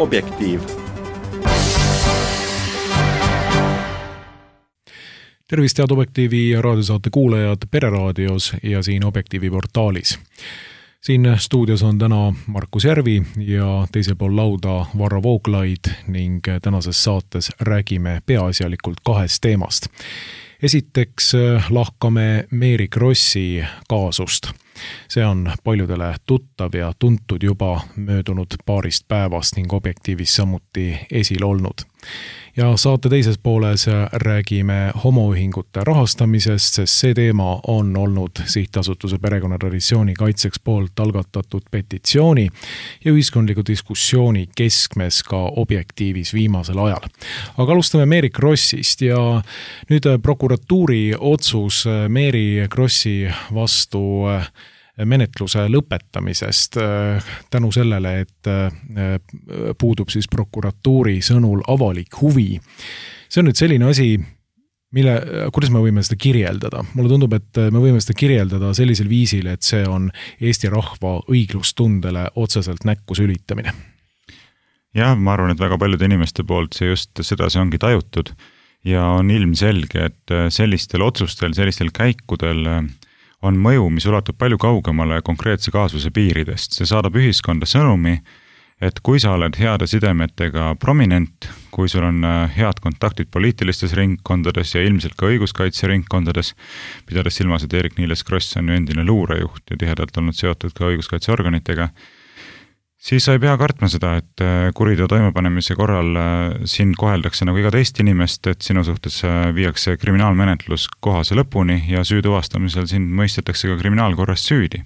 Objektiiv. Tervist, head Objektiivi raadiosaate kuulajad Pereraadios ja siin Objektiivi portaalis. Siin stuudios on täna Markus Järvi ja teisel pool lauda Varro Vooglaid ning tänases saates räägime peaasjalikult kahest teemast. Esiteks lahkame Mary Krossi kaasust. See on paljudele tuttav ja tuntud juba möödunud paarist päevast ning Objektiivis samuti esil olnud. Ja saate teises pooles räägime homoühingute rahastamisest, sest see teema on olnud Sihtasutuse perekonnatraditsiooni kaitseks poolt algatatud petitsiooni ja ühiskondliku diskussiooni keskmes ka Objektiivis viimasel ajal. Aga alustame Mary Krossist ja nüüd prokuratuuri otsus Mary Krossi vastu menetluse lõpetamisest tänu sellele, et puudub siis prokuratuuri sõnul avalik huvi. See on nüüd selline asi, kuidas me võime seda kirjeldada? Mulle tundub, et me võime seda kirjeldada sellisel viisil, et see on Eesti rahva õiglustundele otseselt näkku sülitamine. Jah, ma arvan, et väga paljude inimeste poolt see just seda see ongi tajutud ja on ilmselge, et sellistel otsustel, sellistel käikudel on mõju, mis ulatub palju kaugemale konkreetse kaasuse piiridest. See saadab ühiskonda sõnumi, et kui sa oled heade sidemetega prominent, kui sul on head kontaktid poliitilistes ringkondades ja ilmselt ka õiguskaitseringkondades, pidades silmas, et Eerik-Niiles Kross on ju endine luurejuht ja tihedalt olnud seotud ka õiguskaitseorganitega, siis sa ei pea kartma seda, et kuriteo toimepanemise korral sind koheldakse nagu iga teist inimest, et sinu suhtes viiakse kriminaalmenetlus kohase lõpuni ja süü tuvastamisel sind mõistetakse ka kriminaalkorras süüdi.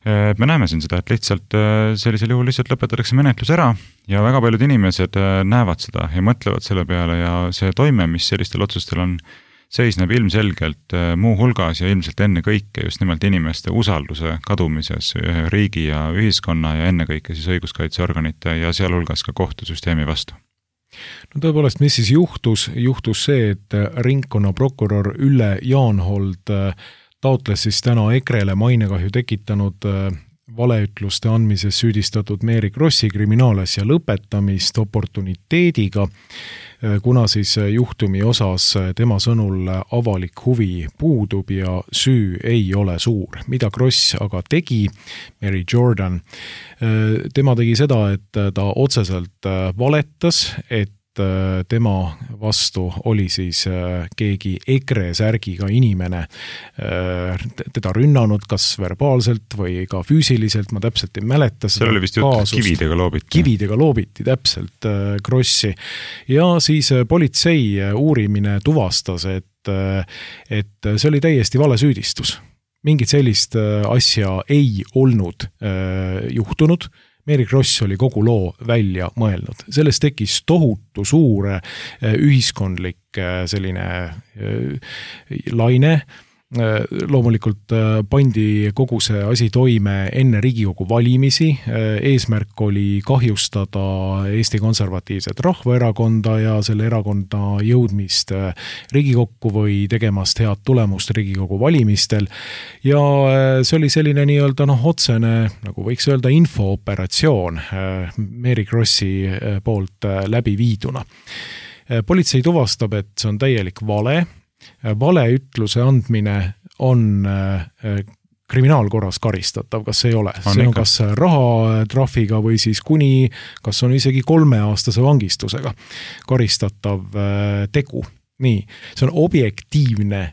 Me näeme siin seda, et lihtsalt sellisel juhul lihtsalt lõpetatakse menetlus ära ja väga paljud inimesed näevad seda ja mõtlevad selle peale ja see toime, mis sellistel otsustel on, seisneb ilmselgelt muu hulgas ja ilmselt enne kõike just nimelt inimeste usalduse kadumises riigi ja ühiskonna ja enne kõike siis õiguskaitseorganite ja sealhulgas ka kohtusüsteemi vastu. No tõepoolest, mis siis juhtus? Juhtus see, et ringkonnaprokurör Ülle Jaanhold taotles siis täna EKRE-le mainekahju tekitanud valeütluste andmises süüdistatud Mary Krossi kriminaalasja lõpetamist oportuniteediga, kuna siis juhtumi osas tema sõnul avalik huvi puudub ja süü ei ole suur. Mida Kross aga tegi, Mary Jordan, tema tegi seda, et ta otseselt valetas, et tema vastu oli siis keegi EKRE särgiga inimene teda rünnanud kas verbaalselt või ka füüsiliselt, ma täpselt ei mäleta. Seal oli vist jutt kividega loobiti. Kividega loobiti täpselt Krossi. Ja siis politsei uurimine tuvastas, et see oli täiesti vale süüdistus. Mingit sellist asja ei olnud juhtunud. Mary Kross oli kogu loo välja mõelnud. Sellest tekkis tohutu suur ühiskondlik selline laine. Loomulikult pandi kogu see asi toime enne Riigikogu valimisi. Eesmärk oli kahjustada Eesti Konservatiivset Rahvaerakonda ja selle erakonda jõudmist Riigikokku või tegemast head tulemust Riigikogu valimistel. Ja see oli selline nii-öelda otsene, nagu võiks öelda, infooperatsioon Mary Krossi poolt läbi viiduna. Politsei tuvastab, et see on täielik vale. Valeütluse andmine on kriminaalkorras karistatav, kas ei ole? See on kas rahatrahviga või siis kuni, kas on isegi 3-aastase vangistusega karistatav tegu. Nii, see on objektiivne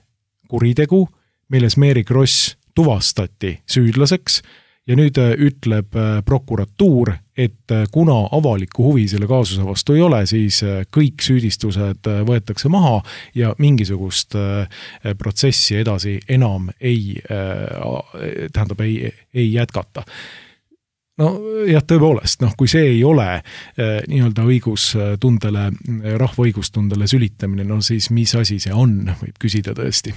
kuritegu, milles Mary Kross tuvastati süüdlaseks ja nüüd ütleb prokuratuur, et kuna avalikku huvi selle kaasuse vastu ei ole, siis kõik süüdistused võetakse maha ja mingisugust protsessi edasi enam ei jätkata. No jah, tõepoolest, kui see ei ole nii-öelda õigustundele, rahva õigustundele sülitamine, siis mis asi see on, võib küsida tõesti.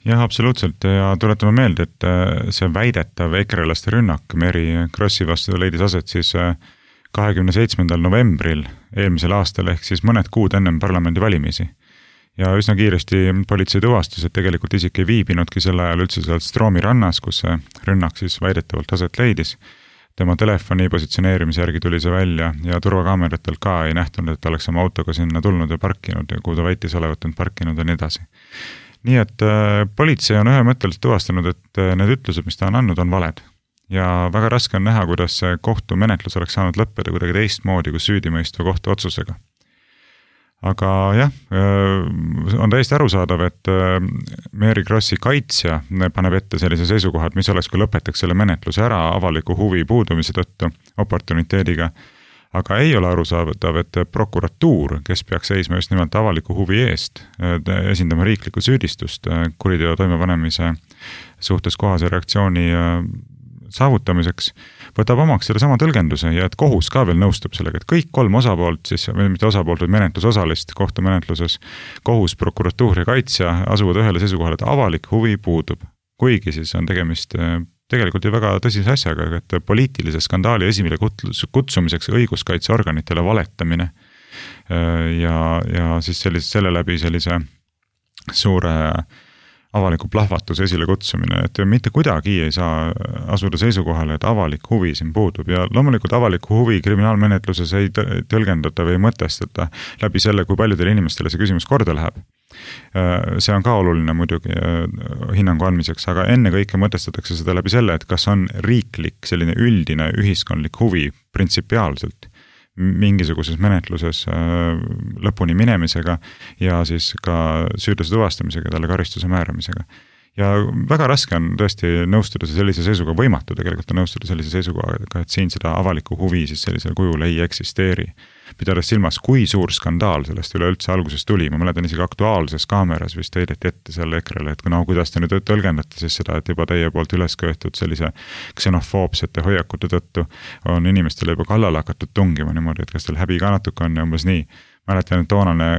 Jah, absoluutselt ja tuletame meelde, et see väidetav ekrelaste rünnak Mary Krossi vastu leidis aset siis 27. novembril eelmisel aastal ehk siis mõned kuud ennem parlamendi valimisi. Ja üsna kiiresti politsei tuvastas, et tegelikult isik ei viibinudki selle ajal üldse sealt Stroomi rannas, kus see rünnak siis väidetavalt aset leidis. tema telefoni positsioneerimise järgi tuli see välja ja turvakaameratelt ka ei nähtunud, et ta oleks oma autoga sinna tulnud ja parkinud ja kuhu ta väitis olevat end parkinud ja nii edasi. Nii et politsei on ühemõtteliselt tuvastanud, et need ütlused, mis ta on andnud, on valed. Ja väga raske on näha, kuidas see kohtumenetlus oleks saanud lõppeda kuidagi teistmoodi kui süüdimõistva kohtuotsusega. Aga jah, on täiesti arusaadav, et Mary Krossi kaitsja paneb ette sellise seisukohad, mis oleks, kui lõpetaks selle menetluse ära avaliku huvi puudumise tõttu oportuniteediga. Aga ei ole arusaadav, et prokuratuur, kes peaks seisma just nimelt avaliku huvi eest, esindama riiklikku süüdistust kuriteo toimepanemise suhtes kohase reaktsiooni saavutamiseks, võtab omaks selle sama tõlgenduse ja et kohus ka veel nõustub sellega, et kõik 3 osapoolt, siis mitte osapoolt, vaid menetlusosalist kohtumenetluses, kohus, prokuratuur ja kaitsja asuvad ühele seisukohale, et avalik huvi puudub. Kuigi siis on tegemist tegelikult ju väga tõsise asjaga, et poliitilise skandaali esimile kutsumiseks õiguskaitseorganitele valetamine ja siis selle läbi sellise suure avaliku plahvatus esile kutsumine, et mitte kuidagi ei saa asuda seisukohale, et avalik huvi siin puudub ja loomulikult avaliku huvi kriminaalmenetluses ei tõlgendata või mõtestata läbi selle, kui paljudele inimestele see küsimus korda läheb. See on ka oluline muidugi hinnangu andmiseks, aga enne kõike mõtestatakse seda läbi selle, et kas on riiklik selline üldine ühiskondlik huvi printsipiaalselt mingisuguses menetluses lõpuni minemisega ja siis ka süüdlase tuvastamisega, talle karistuse määramisega. Ja väga raske on tõesti nõustuda sellise seisuga, võimatu tegelikult on nõustuda sellise seisuga, et siin seda avaliku huvi siis sellisel kujul ei eksisteeri. Pidades silmas, kui suur skandaal sellest üleüldse alguses tuli, ma mäletan isegi Aktuaalses kaameras vist heideti ette selle ekrele, et kuidas te nüüd tõlgendate siis seda, et juba teie poolt üles köetud sellise ksenofoobsete hoiakute tõttu on inimestele juba kallale hakatud tungima niimoodi, et kas teil häbi ka natuke on ja umbes nii. Mäletan, et toonane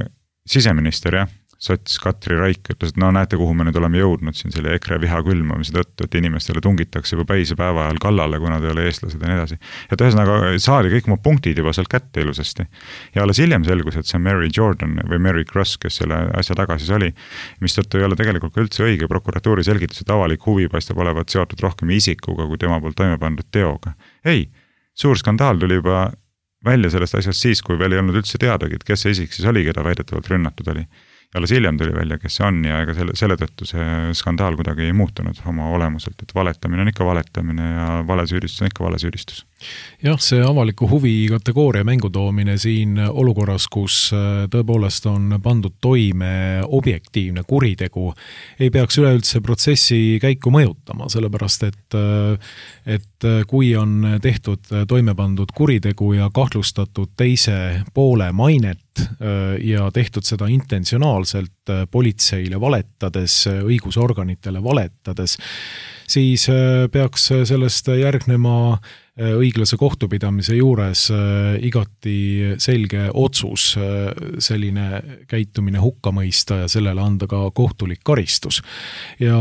siseminister, sots Katri Raik ütles, et no näete, kuhu me nüüd oleme jõudnud siin selle EKRE viha külmamise tõttu, et inimestele tungitakse juba päise päeva ajal kallale, kuna te ei ole eestlased ja nii edasi. Ja ühesõnaga saadi kõik oma punktid juba sealt kätte ilusasti. Ja alles hiljem selgus, et see Mary Jordan või Mary Cross, kes selle asja taga siis oli, mis tõttu ei ole tegelikult ka üldse õige prokuratuuri selgitus, et avalik huvi paistab olevat seotud rohkem isikuga kui tema poolt toime pandud teoga. Ei, suur skandaal tuli juba välja sellest asjast siis, kui veel ei olnud üldse teadagi, et kes see isik siis oli, keda väidetavalt rünnatud oli. Ja alles hiljem tuli välja, kes see on ja ega selle tõttu see skandaal kuidagi ei muutunud oma olemuselt, et valetamine on ikka valetamine ja valesüüdistus on ikka valesüüdistus. Jah, see avaliku huvi kategooria mängutoomine siin olukorras, kus tõepoolest on pandud toime objektiivne kuritegu, ei peaks üleüldse protsessi käiku mõjutama, sellepärast et kui on tehtud toime pandud kuritegu ja kahtlustatud teise poole mainet ja tehtud seda intentsionaalselt politseile valetades, õigusorganitele valetades, siis peaks sellest järgnema õiglase kohtupidamise juures igati selge otsus selline käitumine hukka mõista ja sellele anda ka kohtulik karistus. Ja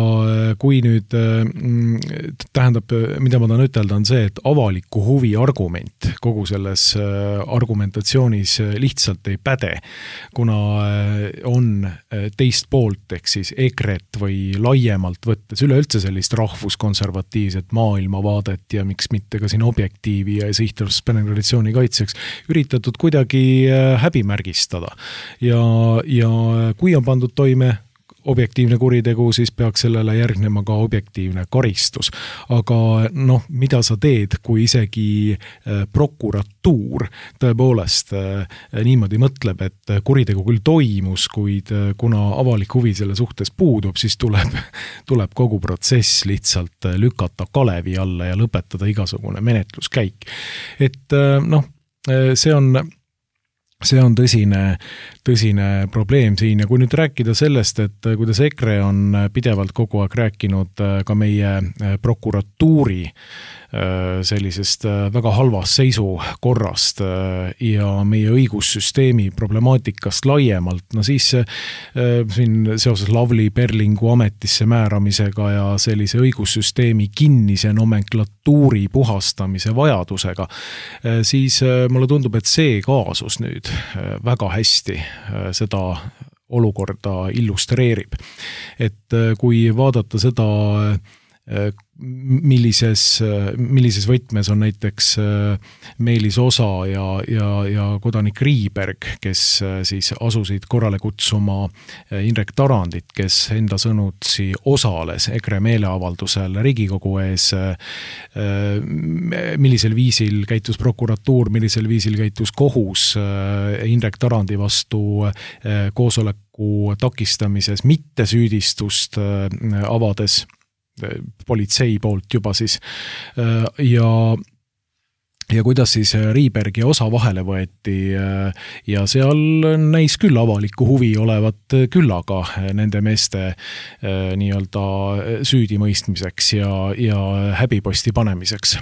kui nüüd tähendab, mida ma tahan ütelda, on see, et avaliku huvi argument kogu selles argumentatsioonis lihtsalt ei päde, kuna on teist poolt, ehk siis EKRE-t või laiemalt võttes üleüldse sellist rahvuskonservatiivset maailmavaadet ja miks mitte ka siin objektiivi ja sihtotstarbelise kaitseks üritatud kuidagi häbimärgistada. Ja kui on pandud toime objektiivne kuritegu, siis peaks sellele järgnema ka objektiivne karistus. Aga mida sa teed, kui isegi prokuratuur tõepoolest niimoodi mõtleb, et kuritegu küll toimus, kuid kuna avalik huvi selle suhtes puudub, siis tuleb kogu protsess lihtsalt lükata kalevi alla ja lõpetada igasugune menetluskäik. Et see on tõsine probleem siin ja kui nüüd rääkida sellest, et kuidas EKRE on pidevalt kogu aeg rääkinud ka meie prokuratuuri sellisest väga halvast seisukorrast ja meie õigussüsteemi problemaatikast laiemalt, siis siin seoses Lavly Perlingu ametisse määramisega ja sellise õigussüsteemi kinnise nomenklatuuri puhastamise vajadusega, siis mulle tundub, et see kaasus nüüd väga hästi seda olukorda illustreerib. Et kui vaadata seda millises võtmes on näiteks Meelis Osa ja kodanik Riiberg, kes siis asusid korrale kutsuma Indrek Tarandit, kes enda sõnutsi osales EKRE meeleavaldusel Riigikogu ees, millisel viisil käitus prokuratuur, millisel viisil käitus kohus Indrek Tarandi vastu koosoleku takistamises, mitte süüdistust avades politsei poolt juba siis ja kuidas siis Riiberg ja Osa vahele võeti ja seal näis küll avalikku huvi olevat küllaga nende meeste nii-öelda süüdimõistmiseks ja häbiposti panemiseks.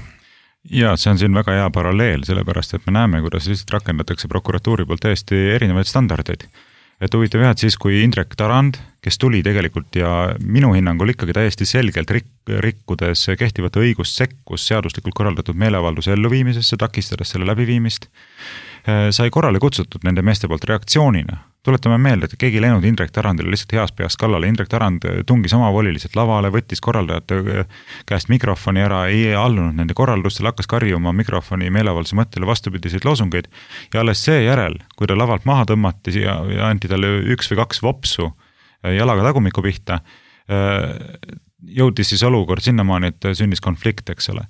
Ja see on siin väga hea paralleel, sellepärast et me näeme, kuidas lihtsalt rakendatakse prokuratuuri poolt täiesti erinevaid standardeid. Et huvitav jah, et siis kui Indrek Tarand, kes tuli tegelikult ja minu hinnangul ikkagi täiesti selgelt rikkudes kehtivat õigust sekkus seaduslikult korraldatud meeleavalduse elluviimisesse, takistades selle läbiviimist, sai korrale kutsutud nende meeste poolt reaktsioonina. Tuletame meelde, et keegi läinud Indrek Tarandile lihtsalt heas peas kallale. Indrek Tarand tungis omavoliliselt lavale, võttis korraldajate käest mikrofoni ära, ei allunud nende korraldustele, hakkas karjuma mikrofoni meeleavalduse mõttele vastupidiseid loosungeid ja alles seejärel, kui ta lavalt maha tõmmati ja anti talle 1 või 2 vopsu jalaga tagumiku pihta, jõudis siis olukord sinnamaani, et sündis konflikt, eks ole.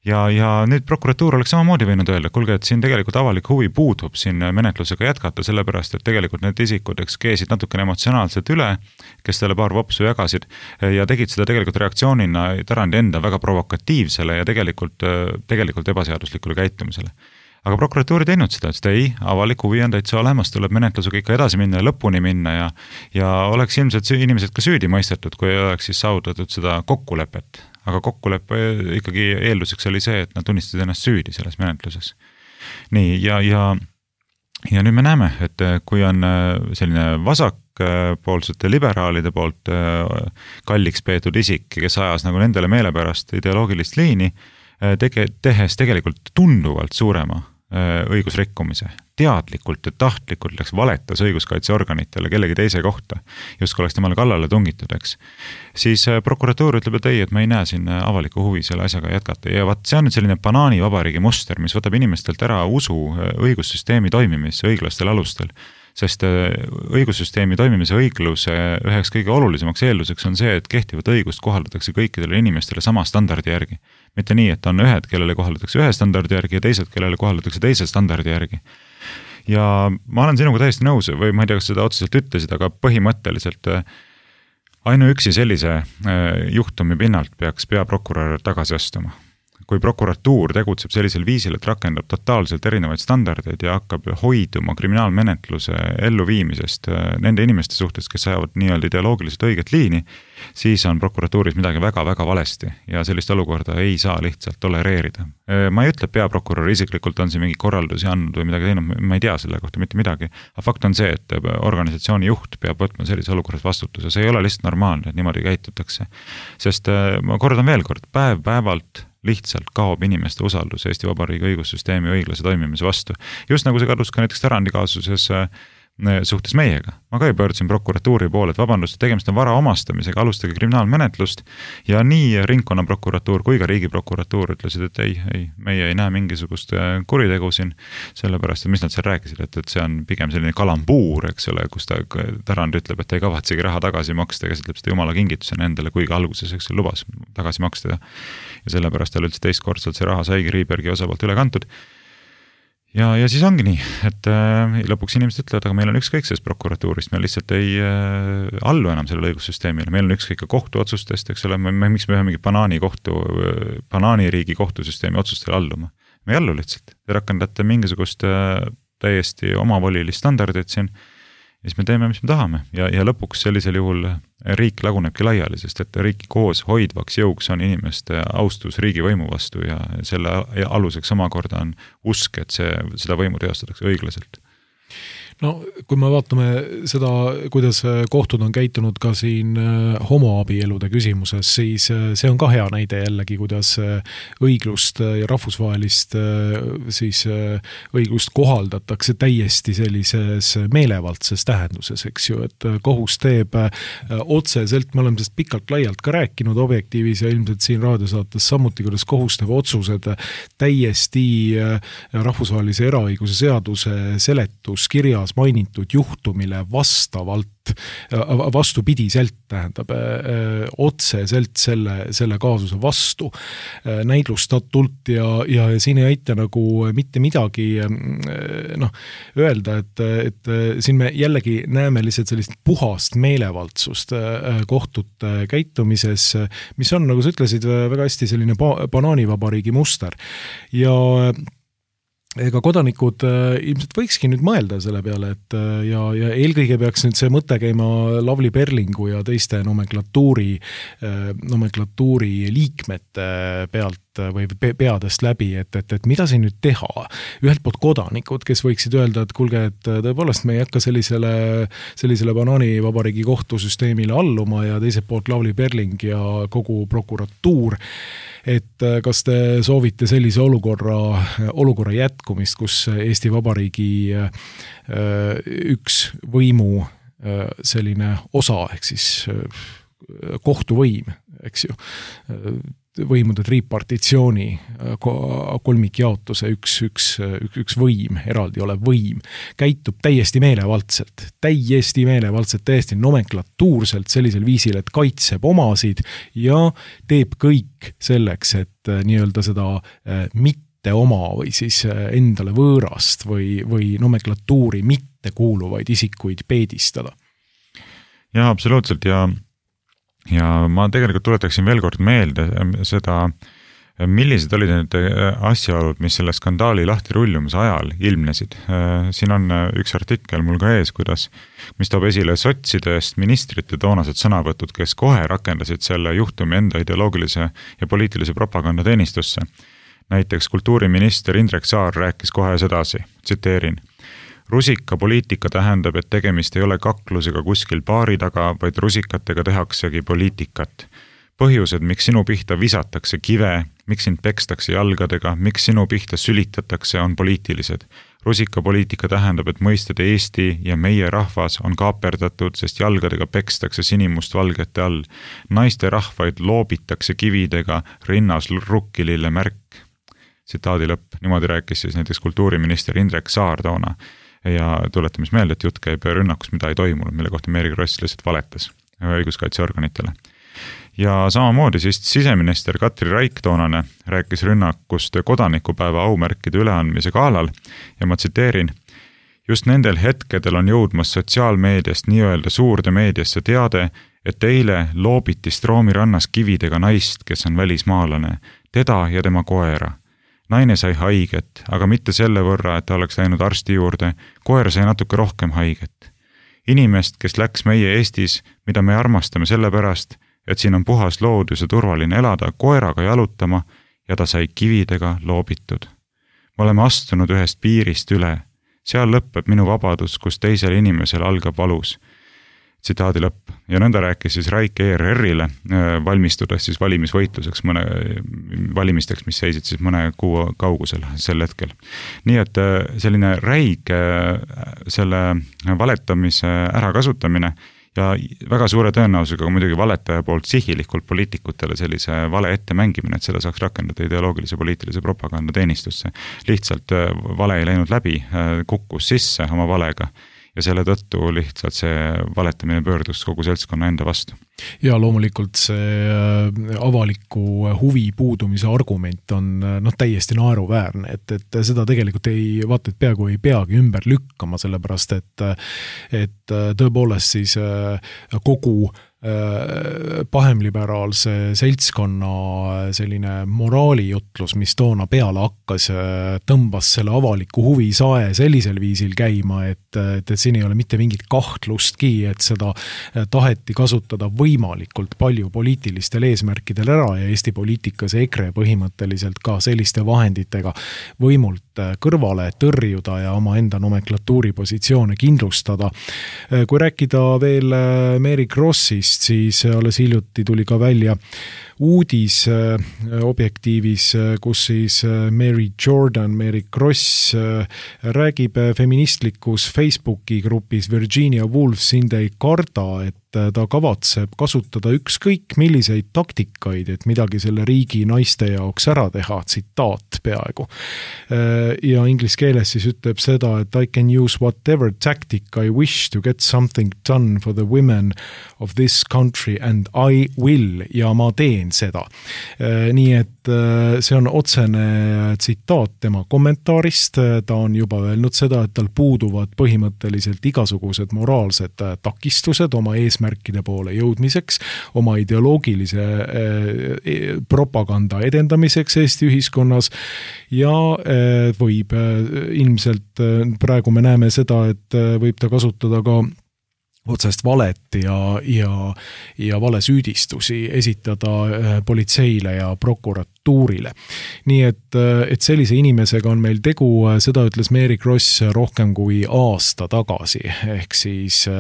Ja nüüd prokuratuur oleks samamoodi võinud öelda, kuulge, et siin tegelikult avalik huvi puudub siin menetlusega jätkata, sellepärast, et tegelikult need isikud keesid natukene emotsionaalselt üle, kes talle paar vopsu jagasid ja tegid seda tegelikult reaktsioonina Tarandi enda väga provokatiivsele ja tegelikult ebaseaduslikule käitumisele. Aga prokuratuur ei teinud seda, et ei, avalik huvi on täitsa olemas, tuleb menetlusega ikka edasi minna ja lõpuni minna ja oleks ilmselt inimesed ka süüdi mõistetud, kui oleks siis saavutatud seda kokkulepet. Aga kokkuleppe ikkagi eelduseks oli see, et nad tunnistasid ennast süüdi selles menetluses. Nii, ja nüüd me näeme, et kui on selline vasakpoolsete liberaalide poolt kalliks peetud isik, kes ajas nagu nendele meelepärast ideoloogilist liini, tehes tegelikult tunduvalt suurema õigusrikkumise. Teadlikult ja tahtlikult läks valetas õiguskaitseorganitele kellegi teise kohta, just kui oleks temale kallale tungitud, eks. Siis prokuratuur ütleb, et ei, et ma ei näe siin avaliku huvi selle asjaga jätkata. Ja see on nüüd selline banaanivabariigi muster, mis võtab inimestelt ära usu õigussüsteemi toimimisse õiglastel alustel. Sest õigussüsteemi toimimise õigluse üheks kõige olulisemaks eelduseks on see, et kehtivat õigust kohaldatakse kõikidele inimestele sama standardi järgi. Mitte nii, et on ühed, kellele kohaldatakse ühe standardi järgi ja teised, kellele kohaldatakse teise standardi järgi. Ja ma olen sinuga täiesti nõus, või ma ei tea, kas seda otseselt ütlesid, aga põhimõtteliselt ainuüksi sellise juhtumi pinnalt peaks peaprokurör tagasi astuma. Kui prokuratuur tegutseb sellisel viisil, et rakendab totaalselt erinevaid standardeid ja hakkab hoiduma kriminaalmenetluse elluviimisest nende inimeste suhtes, kes ajavad nii-öelda ideoloogiliselt õiget liini, siis on prokuratuuris midagi väga-väga valesti ja sellist olukorda ei saa lihtsalt tolereerida. Ma ei ütle, et peaprokurör isiklikult on siin mingi korraldusi andnud või midagi teinud, ma ei tea selle kohta mitte midagi. Aga fakt on see, et organisatsiooni juht peab võtma sellise olukorras vastutuse. See ei ole lihtsalt normaalne, et niimoodi käitutakse. Sest ma kordan veel kord, päev-päevalt lihtsalt kaob inimeste usaldus Eesti Vabariigi õigussüsteemi õiglase toimimise vastu. Just nagu see kadus ka näiteks Tarandi kaasuses suhtes meiega. Ma ka ei pöördusin prokuratuuri poole, et vabandust, tegemist on vara omastamisega, alustage kriminaalmenetlust ja nii ringkonnaprokuratuur kui ka riigiprokuratuur ütlesid, et ei, meie ei näe mingisugust kuritegu siin, sellepärast, et mis nad seal rääkisid, et see on pigem selline kalambuur, eks ole, kus Tarand ütleb, et ei kavatsegi raha tagasi maksta ja käsitleb seda jumala kingitusena endale, kuigi alguses eks lubas tagasi maksta ja sellepärast tal üldse teistkordselt see raha saigi Riibergi osapoolt üle kantud. Ja siis ongi nii, et lõpuks inimesed ütlevad, aga meil on ükskõik sellest prokuratuurist, me lihtsalt ei allu enam sellele õigussüsteemile, meil on ükskõik ka kohtuotsustest, eks ole, miks me ühe mingi banaaniriigi kohtusüsteemi otsustele alluma. Me ei allu lihtsalt, te rakendate mingisugust täiesti omavolilist standardit siin, ja siis me teeme, mis me tahame ja lõpuks sellisel juhul riik lagunebki laiali, sest et riiki koos hoidvaks jõuks on inimeste austus riigivõimu vastu ja selle aluseks omakorda on usk, et seda võimu teostatakse õiglaselt. No kui me vaatame seda, kuidas kohtud on käitunud ka siin homoabielude küsimuses, siis see on ka hea näide jällegi, kuidas õiglust ja rahvusvahelist siis õiglust kohaldatakse täiesti sellises meelevaldses tähenduses, eks ju, et kohus teeb otseselt, me oleme sellest pikalt laialt ka rääkinud Objektiivis ja ilmselt siin raadiosaates samuti, kuidas kohus teeb otsused täiesti rahvusvahelise eraõiguse seaduse seletuskirjas mainitud juhtumile vastupidiselt, tähendab, otseselt selle kaasuse vastu näidlustatult ja siin ei aita nagu mitte midagi öelda, et siin me jällegi näeme lihtsalt sellist puhast meelevaldsust kohtute käitumises, mis on, nagu sa ütlesid, väga hästi selline banaanivabariigi muster ja ega kodanikud ilmselt võikski nüüd mõelda selle peale, et ja eelkõige peaks nüüd see mõte käima Lavly Perlingu ja teiste nomenklatuuri liikmete pealt või peadest läbi, et mida siin nüüd teha. Ühelt poolt kodanikud, kes võiksid öelda, et kuulge, et tõepoolest me ei hakka sellisele banaanivabariigi kohtusüsteemile alluma ja teiselt poolt Lavly Perling ja kogu prokuratuur, et kas te soovite sellise olukorra jätkumist, kus Eesti Vabariigi üks võimu selline osa, ehk siis kohtuvõim, eks ju, võimude tripartitsiooni kolmikjaotuse üks võim, eraldi olev võim, käitub täiesti meelevaldselt, täiesti nomenklatuurselt sellisel viisil, et kaitseb omasid ja teeb kõik selleks, et nii-öelda seda mitte oma või siis endale võõrast või nomenklatuuri mitte kuuluvaid isikuid peedistada. Ja absoluutselt ja ma tegelikult tuletaksin veel kord meelde seda, millised olid need asjaolud, mis selle skandaali lahti rullumise ajal ilmnesid. Siin on üks artikkel mul ka ees, mis toob esile sotsidest ministrite toonased sõnavõtud, kes kohe rakendasid selle juhtumi enda ideoloogilise ja poliitilise propaganda teenistusse. Näiteks kultuuriminister Indrek Saar rääkis kohe sedasi, tsiteerin: rusikapoliitika tähendab, et tegemist ei ole kaklusega kuskil baari taga, vaid rusikatega tehaksegi poliitikat. Põhjused, miks sinu pihta visatakse kive, miks sind pekstakse jalgadega, miks sinu pihta sülitatakse, on poliitilised. Rusikapoliitika tähendab, et mõisted Eesti ja meie rahvas on kaaperdatud, sest jalgadega pekstakse sinimust valgete all. Naiste rahvaid loobitakse kividega, rinnas rukkilille märk. Tsitaadi lõpp. Niimoodi rääkis siis näiteks kultuuriminister Indrek Saar toona. Ja tuletamis meelde, et jutt käib rünnakus, mida ei toimunud, mille kohta Meri Kross lihtsalt valetas õiguskaitseorganitele. Ja samamoodi siis siseminister Katri Raik toonane rääkis rünnakust kodanikupäeva aumärkide üleandmise galal ja ma tsiteerin: just nendel hetkedel on jõudmas sotsiaalmeediast nii-öelda suurde meediasse teade, et eile loobiti Stroomi rannas kividega naist, kes on välismaalane, teda ja tema koera. Naine sai haiget, aga mitte selle võrra, et ta oleks läinud arsti juurde, koer sai natuke rohkem haiget. Inimest, kes läks meie Eestis, mida me armastame selle pärast, et siin on puhas loodus ja turvaline elada, koeraga jalutama ja ta sai kividega loobitud. Me oleme astunud ühest piirist üle. Seal lõpeb minu vabadus, kus teisel inimesel algab valus. Tsitaadi lõpp. Ja nõnda rääkis siis Raik ERR-ile valmistudes siis valimisvõitluseks valimisteks, mis seisid siis mõne kuu kaugusel sel hetkel. Nii et selline räige selle valetamise ärakasutamine ja väga suure tõenäosusega muidugi valetaja poolt sihilikult poliitikutele sellise vale ette mängimine, et seda saaks rakendada ideoloogilise poliitilise propaganda teenistusse. Lihtsalt vale ei läinud läbi, kukkus sisse oma valega. Ja selle tõttu lihtsalt see valetamine pöördus kogu seltskonna enda vastu. Ja loomulikult see avaliku huvi puudumise argument on täiesti naeruväärne, et seda tegelikult vaata, et peaaegu ei peagi ümber lükkama, sellepärast et tõepoolest siis kogu pahemliberaalse seltskonna selline moraalijutlus, mis toona peale hakkas, tõmbas selle avaliku huvi sae sellisel viisil käima, et siin ei ole mitte mingit kahtlustki, et seda taheti kasutada võimalikult palju poliitilistel eesmärkidel ära ja Eesti poliitikas EKRE põhimõtteliselt ka selliste vahenditega võimult kõrvale tõrjuda ja oma enda nomenklatuuri positsioone kindlustada. Kui rääkida veel Mary Krossist, siis alles hiljuti tuli ka välja uudis Objektiivis, kus siis Mary Kross räägib feministlikus Facebooki grupis Virginia Woolf sind ei karda, et ta kavatseb kasutada ükskõik milliseid taktikaid, et midagi selle riigi naiste jaoks ära teha, tsitaat peaaegu. Ja inglise keeles siis ütleb seda, et I can use whatever tactic I wish to get something done for the women of this country and I will, ja ma teen seda. Nii et see on otsene tsitaat tema kommentaarist, ta on juba öelnud seda, et tal puuduvad põhimõtteliselt igasugused moraalsed takistused oma eesmärkide poole jõudmiseks, oma ideoloogilise propaganda edendamiseks Eesti ühiskonnas ja võib ilmselt, praegu me näeme seda, et võib ta kasutada ka otsest valet ja valesüüdistusi esitada politseile ja prokuratuurile. Nii et sellise inimesega on meil tegu, seda ütles Mary Kross rohkem kui aasta tagasi, ehk siis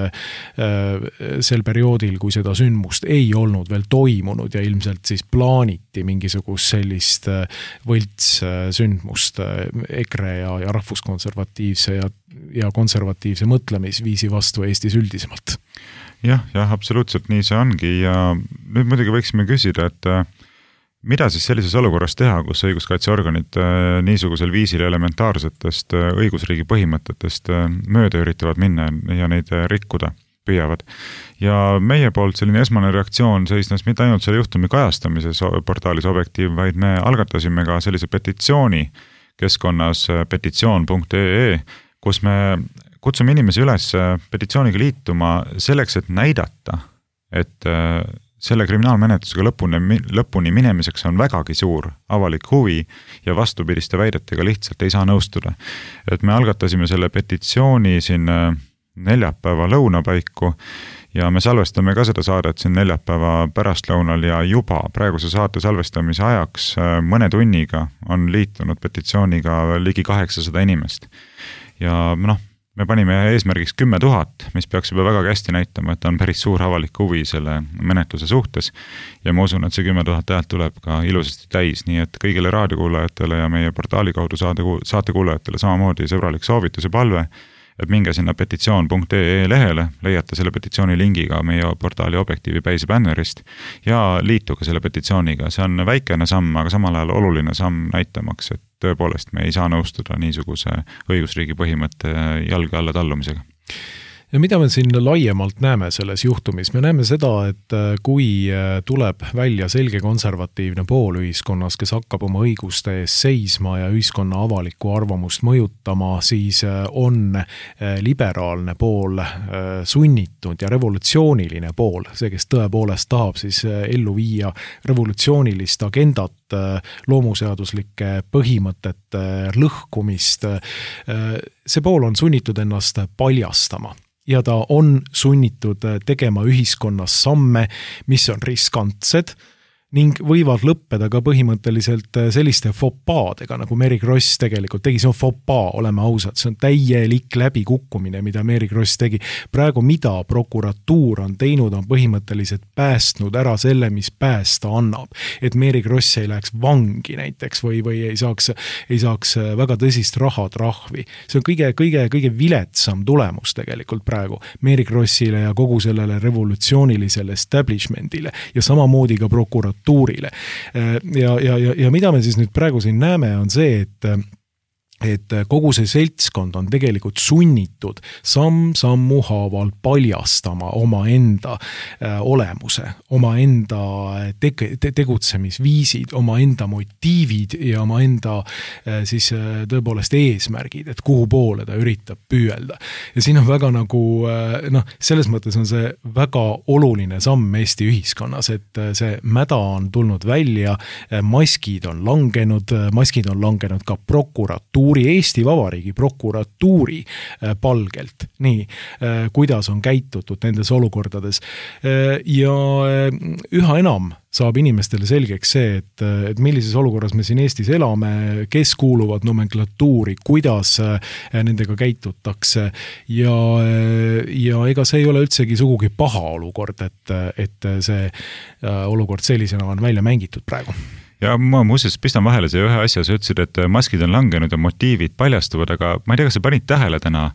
sel perioodil, kui seda sündmust ei olnud veel toimunud ja ilmselt siis plaaniti mingisugust sellist võltssündmust EKRE ja rahvuskonservatiivse ja konservatiivse mõtlemisviisi vastu Eestis üldisemalt. Jah, absoluutselt nii see ongi ja nüüd muidugi võiksime küsida, et mida siis sellises olukorras teha, kus õiguskaitseorganid niisugusel viisil elementaarsetest õigusriigi põhimõtetest mööda üritavad minna ja neid rikkuda püüavad. Ja meie poolt selline esmane reaktsioon seisnes mitte ainult selle juhtumi kajastamises portaalis Objektiiv, vaid me algatasime ka sellise petitsiooni keskkonnas petitsioon.ee, kus me kutsume inimesi üles petitsiooniga liituma selleks, et näidata, et selle kriminaalmenetlusega lõpuni minemiseks on vägagi suur avalik huvi ja vastupidiste väidetega lihtsalt ei saa nõustuda. Et me algatasime selle petitsiooni siin neljapäeva lõunapaiku ja me salvestame ka seda saadet siin neljapäeva pärastlõunal ja juba praeguse saate salvestamise ajaks mõne tunniga on liitunud petitsiooniga ligi 800 inimest. Ja me panime eesmärgiks 10 000, mis peaks juba väga hästi näitama, et on päris suur avalik huvi selle menetluse suhtes ja ma usun, et see 10 000 häält tuleb ka ilusasti täis, nii et kõigile raadiokuulajatele ja meie portaali kaudu saatekuulajatele samamoodi sõbralik soovitus ja palve, et minge sinna petitsioon.ee lehele, leiate selle petitsiooni lingiga meie portaali Objektiivi päise bännerist ja liituge selle petitsiooniga. See on väikene samm, aga samal ajal oluline samm näitamaks, et tõepoolest me ei saa nõustuda niisuguse õigusriigi põhimõtte jalge alla tallumisega. Ja mida me siin laiemalt näeme selles juhtumis? Me näeme seda, et kui tuleb välja selge konservatiivne pool ühiskonnas, kes hakkab oma õiguste ees seisma ja ühiskonna avalikku arvamust mõjutama, siis on liberaalne pool sunnitud ja revolutsiooniline pool, see, kes tõepoolest tahab siis ellu viia revolutsioonilist agendat, loomuseaduslike põhimõtete lõhkumist, see pool on sunnitud ennast paljastama. Ja ta on sunnitud tegema ühiskonnas samme, mis on riskantsed ning võivad lõppeda ka põhimõtteliselt selliste fopaadega, nagu Mary Kross tegelikult tegi. See on fopaa, oleme ausad, see on täielik läbikukkumine, mida Mary Kross tegi. Praegu mida prokuratuur on teinud, on põhimõtteliselt päästnud ära selle, mis päästa annab. Et Mary Kross ei läheks vangi näiteks või ei saaks väga tõsist rahatrahvi. See on kõige viletsam tulemus tegelikult praegu Mary Krossile ja kogu sellele revolutsioonilisele establishmentile ja samamoodi ka prokuratuurile. Ja mida me siis nüüd praegu siin näeme, on see, et kogu see seltskond on tegelikult sunnitud sammu haaval paljastama oma enda olemuse, oma enda tegutsemisviisid, oma enda motiivid ja oma enda siis tõepoolest eesmärgid, et kuhu poole ta üritab püüelda. Ja siin on väga selles mõttes on see väga oluline samm Eesti ühiskonnas, et see mäda on tulnud välja, maskid on langenud ka prokuratuur prokuratuuri, Eesti Vabariigi prokuratuuri palgelt, nii, kuidas on käitutud nendes olukordades. Ja üha enam saab inimestele selgeks see, et millises olukorras me siin Eestis elame, kes kuuluvad nomenklatuuri, kuidas nendega käitutakse ja ega see ei ole üldsegi sugugi paha olukord, et see olukord sellisena on välja mängitud praegu. Ja ma muuseas pistan vahele see ühe asja, sa ütlesid, et maskid on langenud ja motiivid paljastuvad, aga ma ei tea, kas sa panid tähele täna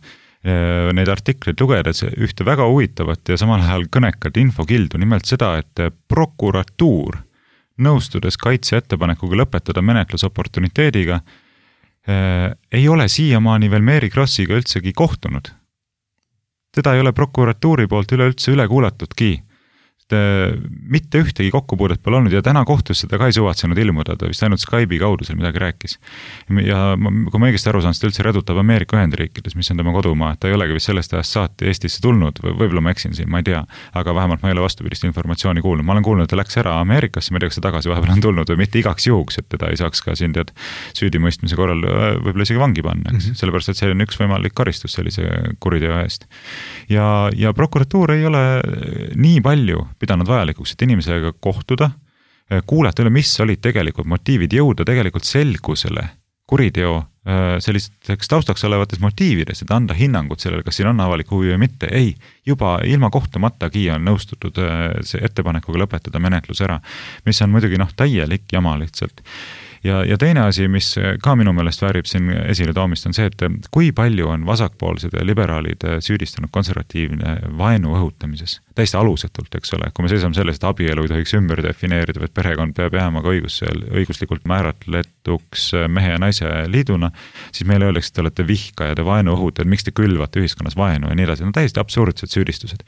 neid artikleid lugedes ühte väga huvitavat ja samal ajal kõnekat infokildu, nimelt seda, et prokuratuur nõustudes kaitse ettepanekuga lõpetada menetlus oportuniteediga ei ole siiamaani veel Mary Krossiga üldsegi kohtunud. Teda ei ole prokuratuuri poolt üleüldse üle kuulatudki. Mitte ühtegi kokkupuudet pole olnud ja täna kohtus seda ka ei suvatsenud ilmuda, ta vist ainult Skype'i kaudu seal midagi rääkis. Ja kui ma õigesti aru saan, seda üldse redutab Ameerika Ühendriikides, mis on tema kodumaa, et ta ei olegi vist sellest ajast saati Eestisse tulnud, võib-olla ma eksin siin, ma ei tea, aga vähemalt ma ei ole vastupidist informatsiooni kuulnud. Ma olen kuulnud, et ta läks ära Ameerikasse, ma ei tea, kas ta tagasi vahepeal on tulnud või mitte igaks juhuks, et teda ei saaks ka siin süüdimõistmise korral võib-olla isegi vangi panna, sellepärast, et see on üks võimalik karistus sellise kuriteo eest. Ja prokuratuur ei ole nii palju pidanud vajalikuks, et inimesega kohtuda, kuulata üle, mis olid tegelikult motiivid, jõuda tegelikult selgusele kuriteo sellisteks taustaks olevates motiivides, et anda hinnangut sellele, kas siin on avalik huvi või mitte. Ei, juba ilma kohtumatagi on nõustutud see ettepanekuga lõpetada menetlus ära, mis on muidugi täielik jama lihtsalt. Ja teine asi, mis ka minu meelest väärib siin esile toomist, on see, et kui palju on vasakpoolsed ja liberaalid süüdistanud konservatiivne vaenu õhutamises. Täiesti alusetult, eks ole. Kui me seisame sellest, et abielu ei tohiks ümber defineerida, et perekond peab jääma ka õiguslikult määratletuks mehe ja naise liiduna, siis meile öeldakse, et te olete vihkajad ja vaenu õhutajad, miks te külvate ühiskonnas vaenu ja nii edasi. Täiesti absurdsed süüdistused.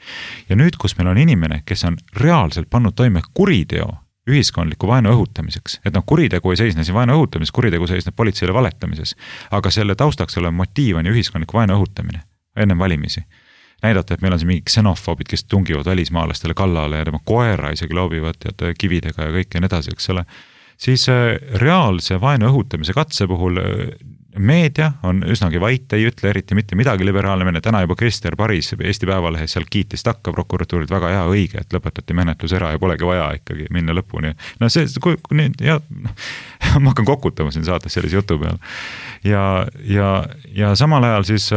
Ja nüüd, kus meil on inimene, kes on reaalselt pannud toime kuriteo ühiskondliku vaenu õhutamiseks, et kuritegu ei seisne siin vaenu õhutamises, kuritegu seisneb politseile valetamises, aga selle taustaks olev motiiv on ühiskondliku vaenu õhutamine enne valimisi. Näidata, et meil on siin mingi ksenofoobid, kes tungivad välismaalastele kallale ja tema koera isegi loobivad kividega ja kõik ja nii edasi, eks ole. Siis reaalse vaenu õhutamise katse puhul meedia on üsnagi vait, ei ütle eriti mitte midagi liberaalne. Täna juba Krister Paris Eesti Päevalehes seal kiitis takka prokuratuurid väga hea õige, et lõpetati menetlus ära ja polegi vaja ikkagi minna lõpuni. Ma hakkan kokutama siin saates sellise jutu peal. Ja samal ajal siis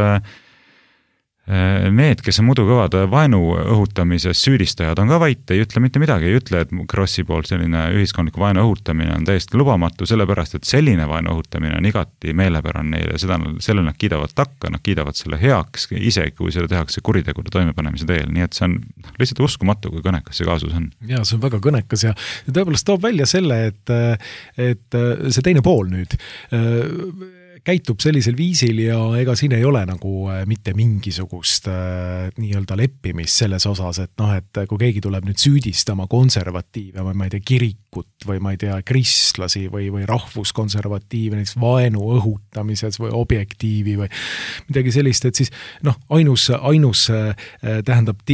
need, kes on muidu kõvad vaenu õhutamises süüdistajad, on ka vait, ei ütle mitte midagi, ei ütle, et Krossi poolt selline ühiskondliku vaenu õhutamine on täiesti lubamatu, sellepärast, et selline vaenu õhutamine on igati meelepäran neile, selle nad kiidavad takka, nad kiidavad selle heaks, isegi kui seda tehakse kuritegude toimepanemise teel, nii et see on lihtsalt uskumatu, kui kõnekas see kaasus on. Ja see on väga kõnekas ja tõepoolest toob välja selle, et see teine pool nüüd käitub sellisel viisil ja ega siin ei ole nagu mitte mingisugust nii-öelda leppimist selles osas, et kui keegi tuleb nüüd süüdistama konservatiive või ma ei tea, kirikut või ma ei tea, kristlasi või rahvuskonservatiive näiteks vaenu õhutamises või objektiivi või midagi sellist, et siis ainus tähendab,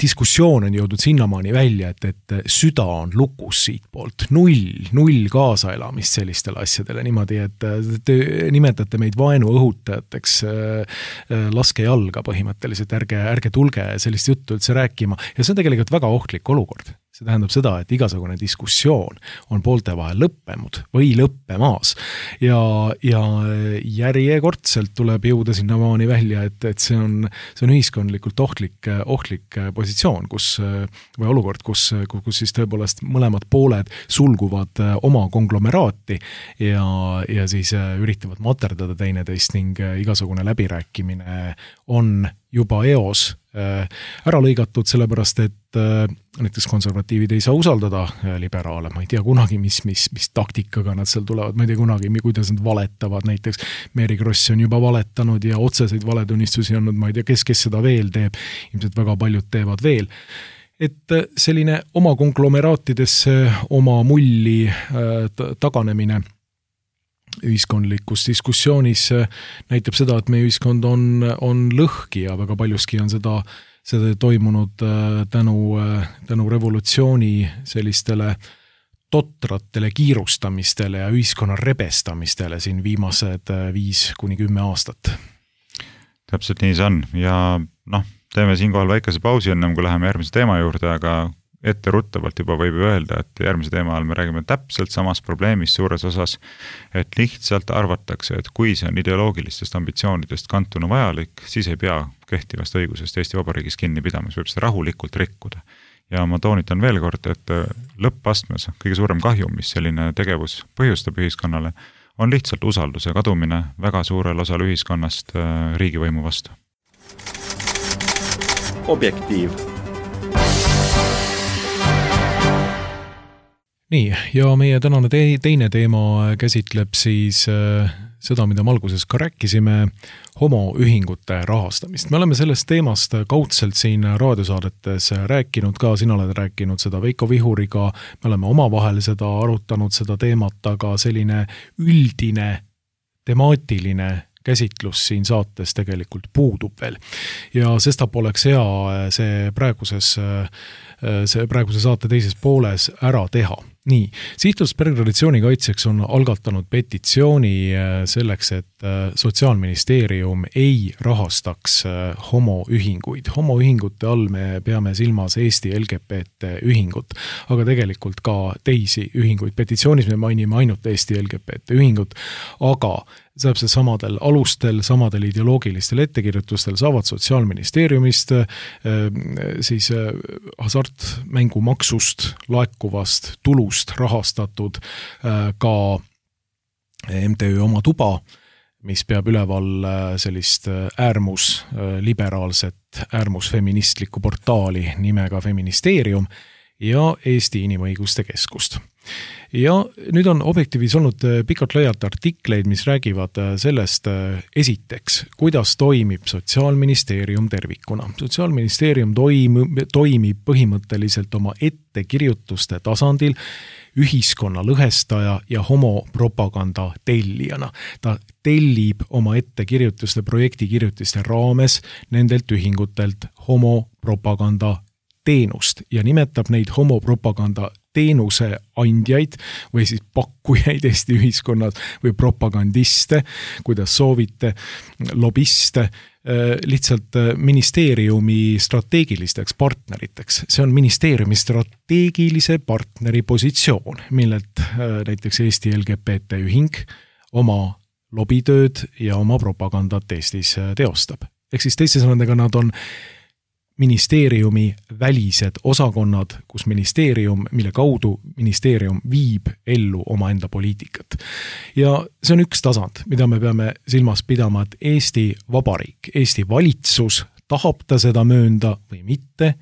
diskussioon on jõudnud sinnamaani välja, et süda on lukus siit poolt, null kaasaelamist sellistele asjadele niimoodi, et nimetate meid vaenu õhutajateks, laske jalga põhimõtteliselt, ärge tulge sellist juttu üldse rääkima ja see on tegelikult väga ohtlik olukord. See tähendab seda, et igasugune diskussioon on poolte vahel lõppenud või lõppemaas ja järjekordselt tuleb jõuda sinnamaani välja, et see on ühiskondlikult ohtlik positsioon, või olukord, kus siis tõepoolest mõlemad pooled sulguvad oma konglomeraati ja siis üritavad materdada teineteist ning igasugune läbirääkimine on juba eos ära lõigatud, sellepärast et näiteks konservatiivid ei saa usaldada liberaale, ma ei tea kunagi, mis taktikaga nad seal tulevad, ma ei tea kunagi, kuidas nad valetavad, näiteks Mary Kross on juba valetanud ja otseseid valetunnistusi andnud, ma ei tea, kes seda veel teeb, ilmselt väga paljud teevad veel. Et selline oma konglomeraatidesse oma mulli taganemine ühiskondlikus diskussioonis näitab seda, et meie ühiskond on lõhki ja väga paljuski on seda toimunud tänu revolutsiooni sellistele totratele kiirustamistele ja ühiskonna rebestamistele siin viimased 5-10 aastat. Täpselt nii see on ja teeme siinkohal väikese pausi ennem, kui läheme järgmise teema juurde, aga etteruttavalt juba võib öelda, et järgmise teema all me räägime täpselt samast probleemist suures osas, et lihtsalt arvatakse, et kui see on ideoloogilistest ambitsioonidest kantuna vajalik, siis ei pea kehtivast õigusest Eesti Vabariigis kinni pidama, see võib seda rahulikult rikkuda. Ja ma toonitan veel kord, et lõppastmes kõige suurem kahju, mis selline tegevus põhjustab ühiskonnale, on lihtsalt usalduse kadumine väga suurel osal ühiskonnast riigivõimu vastu. Objektiiv. Nii, ja meie tänane teine teema käsitleb siis seda, mida me alguses ka rääkisime, homoühingute rahastamist. Me oleme sellest teemast kaudselt siin raadiosaadetes rääkinud ka, sina oled rääkinud seda Veiko Vihuriga, me oleme omavahel seda arutanud, seda teemat, aga selline üldine, temaatiline käsitlus siin saates tegelikult puudub veel. Ja sestap oleks hea see praeguse saate teises pooles ära teha. Nii, Sihtasutus Peretraditsiooni kaitseks on algatanud petitsiooni selleks, et Sotsiaalministeerium ei rahastaks homoühinguid. Homoühingute all me peame silmas Eesti LGBT ühingut, aga tegelikult ka teisi ühinguid. Petitsioonis me mainime ainult Eesti LGBT ühingut, aga täpselt samadel alustel, samadel ideoloogilistel ettekirjutustel saavad Sotsiaalministeeriumist siis hasartmängumaksust laekuvast tulust rahastatud ka MTÜ Oma Tuba, mis peab üleval sellist äärmusfeministlikku portaali nimega Feministeerium ja Eesti Inimõiguste Keskust. Ja nüüd on Objektiivis olnud pikalt laialt artikleid, mis räägivad sellest esiteks, kuidas toimib Sotsiaalministeerium tervikuna. Sotsiaalministeerium toimib põhimõtteliselt oma ettekirjutuste tasandil ühiskonna lõhestaja ja homopropaganda tellijana. Ta tellib oma ettekirjutuste, projektikirjutiste raames nendelt ühingutelt homopropaganda teenust ja nimetab neid homopropaganda teenuse andjaid või siis pakkujaid Eesti ühiskonnas või propagandiste, kuidas soovite, lobiste, lihtsalt ministeeriumi strateegilisteks partneriteks. See on ministeeriumi strateegilise partneri positsioon, millelt näiteks Eesti LGBT ühing oma lobitööd ja oma propagandat Eestis teostab. Ehk siis teiste sõnadega nad on ministeeriumi välised osakonnad, kus ministeerium, mille kaudu ministeerium viib ellu omaenda poliitikat. Ja see on üks tasand, mida me peame silmas pidama, et Eesti Vabariik, Eesti valitsus, tahab ta seda möönda või mitte,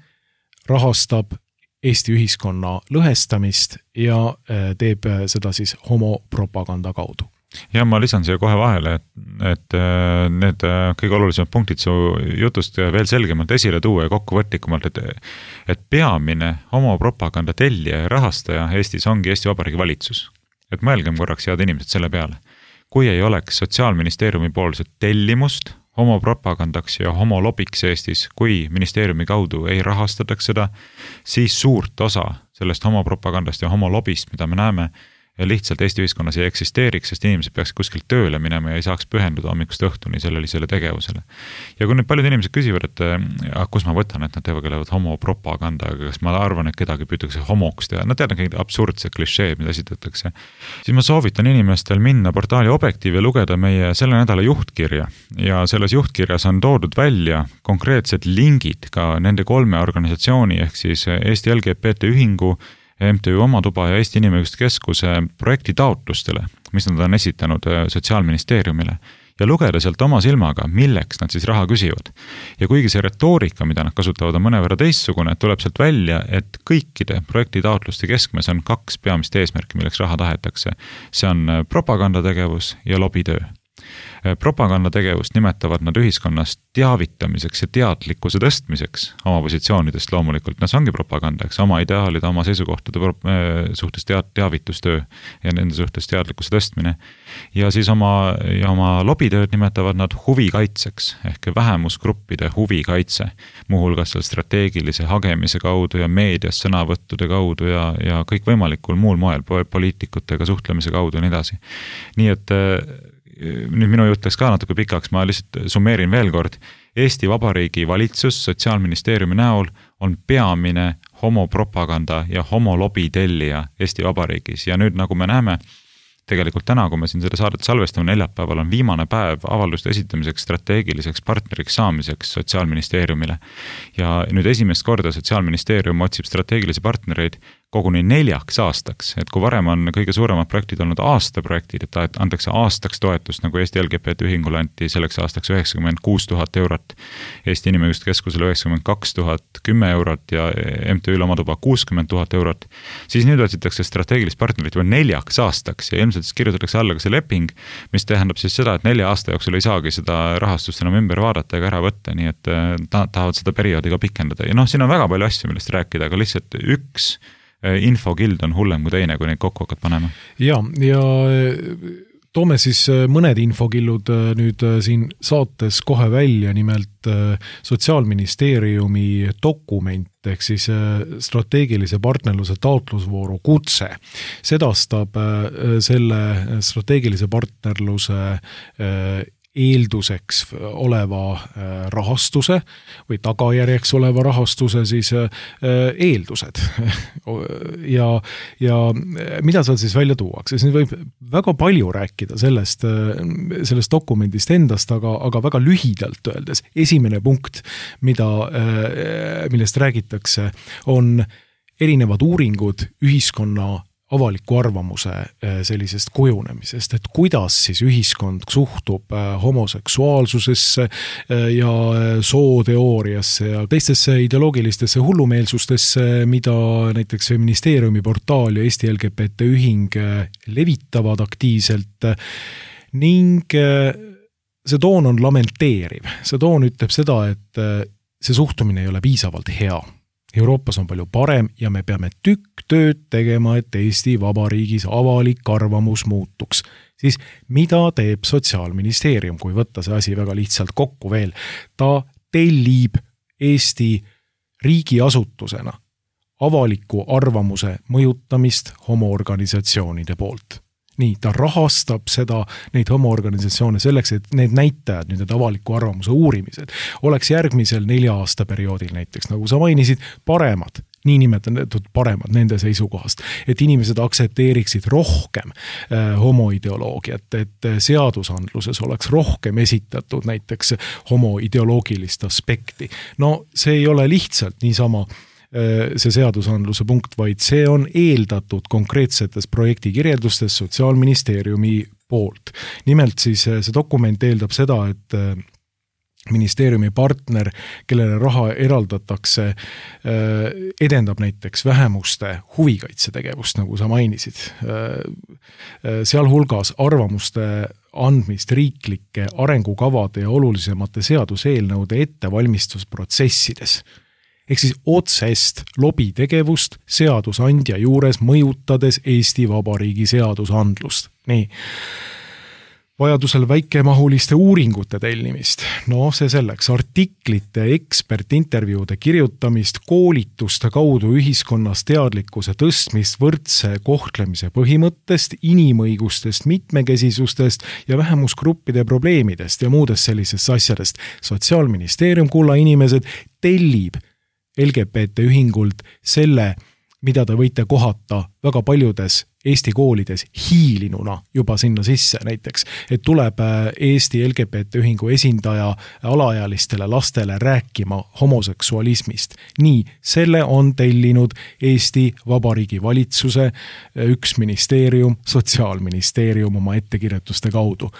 rahastab Eesti ühiskonna lõhestamist ja teeb seda siis homopropaganda kaudu. Ja ma lisan siia kohe vahele, et need kõige olulisemad punktid su jutust veel selgemalt esile tuua ja kokkuvõtlikumalt, et peamine homopropaganda tellija ja rahastaja Eestis ongi Eesti Vabariigi valitsus. Et mõelgem korraks head inimesed selle peale. Kui ei oleks Sotsiaalministeeriumi poolset tellimust homopropagandaks ja homolobiks Eestis, kui ministeeriumi kaudu ei rahastataks seda, siis suurt osa sellest homopropagandast ja homolobist, mida me näeme, ja lihtsalt Eesti ühiskonnas ei eksisteeriks, sest inimesed peaks kuskilt tööle minema ja ei saaks pühenduda hommikust õhtuni sellisele tegevusele. Ja kui nüüd paljud inimesed küsivad, et kus ma võtan, et nad tegelevad homopropaganda, kas ma arvan, et kedagi püütakse homoks teha, nad teavad kõik absurdsed klišeed, mida esitatakse, siis ma soovitan inimestel minna portaali Objektiiv ja lugeda meie selle nädala juhtkirja. Ja selles juhtkirjas on toodud välja konkreetsed lingid ka nende 3 organisatsiooni ehk siis Eesti LGBT ühingu, MTÜ Oma Tuba ja Eesti Inimõiguste Keskuse projekti taotlustele, mis nad on esitanud Sotsiaalministeeriumile ja lugeda sealt oma silmaga, milleks nad siis raha küsivad. Ja kuigi see retoorika, mida nad kasutavad, on mõnevõrra teissugune, tuleb sealt välja, et kõikide projekti taotluste keskmes on 2 peamist eesmärki, milleks raha tahetakse. See on propagandategevus ja lobitöö. Propagandategevust nimetavad nad ühiskonnas teavitamiseks ja teadlikkuse tõstmiseks oma positsioonidest loomulikult. See ongi propaganda, eks, oma ideaalide, oma seisukohtade suhtes teavitustöö ja nende suhtes teadlikkuse tõstmine. Ja siis oma lobitööd nimetavad nad huvikaitseks ehk vähemusgruppide huvikaitse, muuhulgas seal strateegilise hagemise kaudu ja meedias sõnavõttude kaudu ja kõikvõimalikul muul moel poliitikutega suhtlemise kaudu ja nii edasi. Nii et nüüd minu jutt läks ka natuke pikaks, ma lihtsalt summeerin veel kord. Eesti Vabariigi valitsus Sotsiaalministeeriumi näol on peamine homopropaganda ja homolobi tellija Eesti Vabariigis ja nüüd nagu me näeme, tegelikult täna, kui me siin seda saadet salvestame, neljapäeval on viimane päev avalduste esitamiseks strateegiliseks partneriks saamiseks Sotsiaalministeeriumile. Ja nüüd esimest korda Sotsiaalministeerium otsib strateegilisi partnereid koguni 4 aastaks, et kui varem on kõige suuremad projektid olnud aastaprojektid, et antakse aastaks toetust, nagu Eesti LGBT ühingule anti selleks aastaks 96 000 eurot, Eesti Inimõiguste Keskusele 92 000, 10 eurot ja MTÜ Lomatuba 60 000 eurot, siis nüüd otsitakse strateegilist partnerit juba 4 aastaks ja ilmselt siis kirjutatakse alla ka see leping, mis tähendab siis seda, et 4 aasta jooksul ei saagi seda rahastust enam ümber vaadata ega ära võtta, nii et tahavad seda perioodi ka pikendada. Ja siin on väga palju asju, millest rääkida, aga lihtsalt üks infokild on hullem kui teine, kui neid kokku hakkad panema. Ja toome siis mõned infokillud nüüd siin saates kohe välja, nimelt Sotsiaalministeeriumi dokument ehk siis strateegilise partnerluse taotlusvooru kutse sedastab selle strateegilise partnerluse eelduseks oleva rahastuse või tagajärjeks oleva rahastuse siis eeldused. ja mida seal siis välja tuuakse? Siin võib väga palju rääkida sellest dokumendist endast, aga väga lühidalt öeldes. Esimene punkt, millest räägitakse, on erinevad uuringud ühiskonna avaliku arvamuse sellisest kujunemisest, et kuidas siis ühiskond suhtub homoseksuaalsusesse ja sooteooriasse ja teistesse ideoloogilistesse hullumeelsustesse, mida näiteks ministeeriumi portaal ja Eesti LGBT ühing levitavad aktiivselt ning see toon on lamenteeriv. See toon ütleb seda, et see suhtumine ei ole piisavalt hea. Euroopas on palju parem ja me peame tükk tööd tegema, et Eesti Vabariigis avalik arvamus muutuks. Siis mida teeb Sotsiaalministeerium, kui võtta see asi väga lihtsalt kokku veel? Ta tellib Eesti riigiasutusena avaliku arvamuse mõjutamist homoorganisatsioonide poolt. Nii, ta rahastab neid homoorganisatsioone selleks, et need näitajad, need avaliku arvamuse uurimised, oleks järgmisel 4 aasta perioodil näiteks, nagu sa mainisid, paremad, nii nimetatud paremad nende seisukohast, et inimesed aksepteeriksid rohkem homoideoloogiat, et seadusandluses oleks rohkem esitatud näiteks homoideoloogilist aspekti. No see ei ole lihtsalt niisama see seadusandluse punkt, vaid see on eeldatud konkreetsetes projektikirjeldustes Sotsiaalministeeriumi poolt. Nimelt siis see dokument eeldab seda, et ministeeriumi partner, kellele raha eraldatakse, edendab näiteks vähemuste huvikaitsetegevust, nagu sa mainisid. Sealhulgas arvamuste andmist riiklike arengukavade ja olulisemate seaduseelnõude ettevalmistusprotsessides. Ehk siis otsest lobitegevust seadusandja juures mõjutades Eesti Vabariigi seadusandlust. Nii. Vajadusel väikemahuliste uuringute tellimist. No see selleks. Artiklite, ekspertintervjuude kirjutamist, koolituste kaudu ühiskonnas teadlikkuse tõstmist võrdse kohtlemise põhimõttest, inimõigustest, mitmekesisustest ja vähemusgruppide probleemidest ja muudest sellisest asjadest. Sotsiaalministeerium, kulla inimesed, tellib LGBT ühingult selle, mida te võite kohata väga paljudes Eesti koolides hiilinuna juba sinna sisse näiteks, et tuleb Eesti LGBT ühingu esindaja alaealistele lastele rääkima homoseksualismist. Nii, selle on tellinud Eesti Vabariigi valitsuse üks ministeerium, Sotsiaalministeerium oma ettekirjutuste kaudu.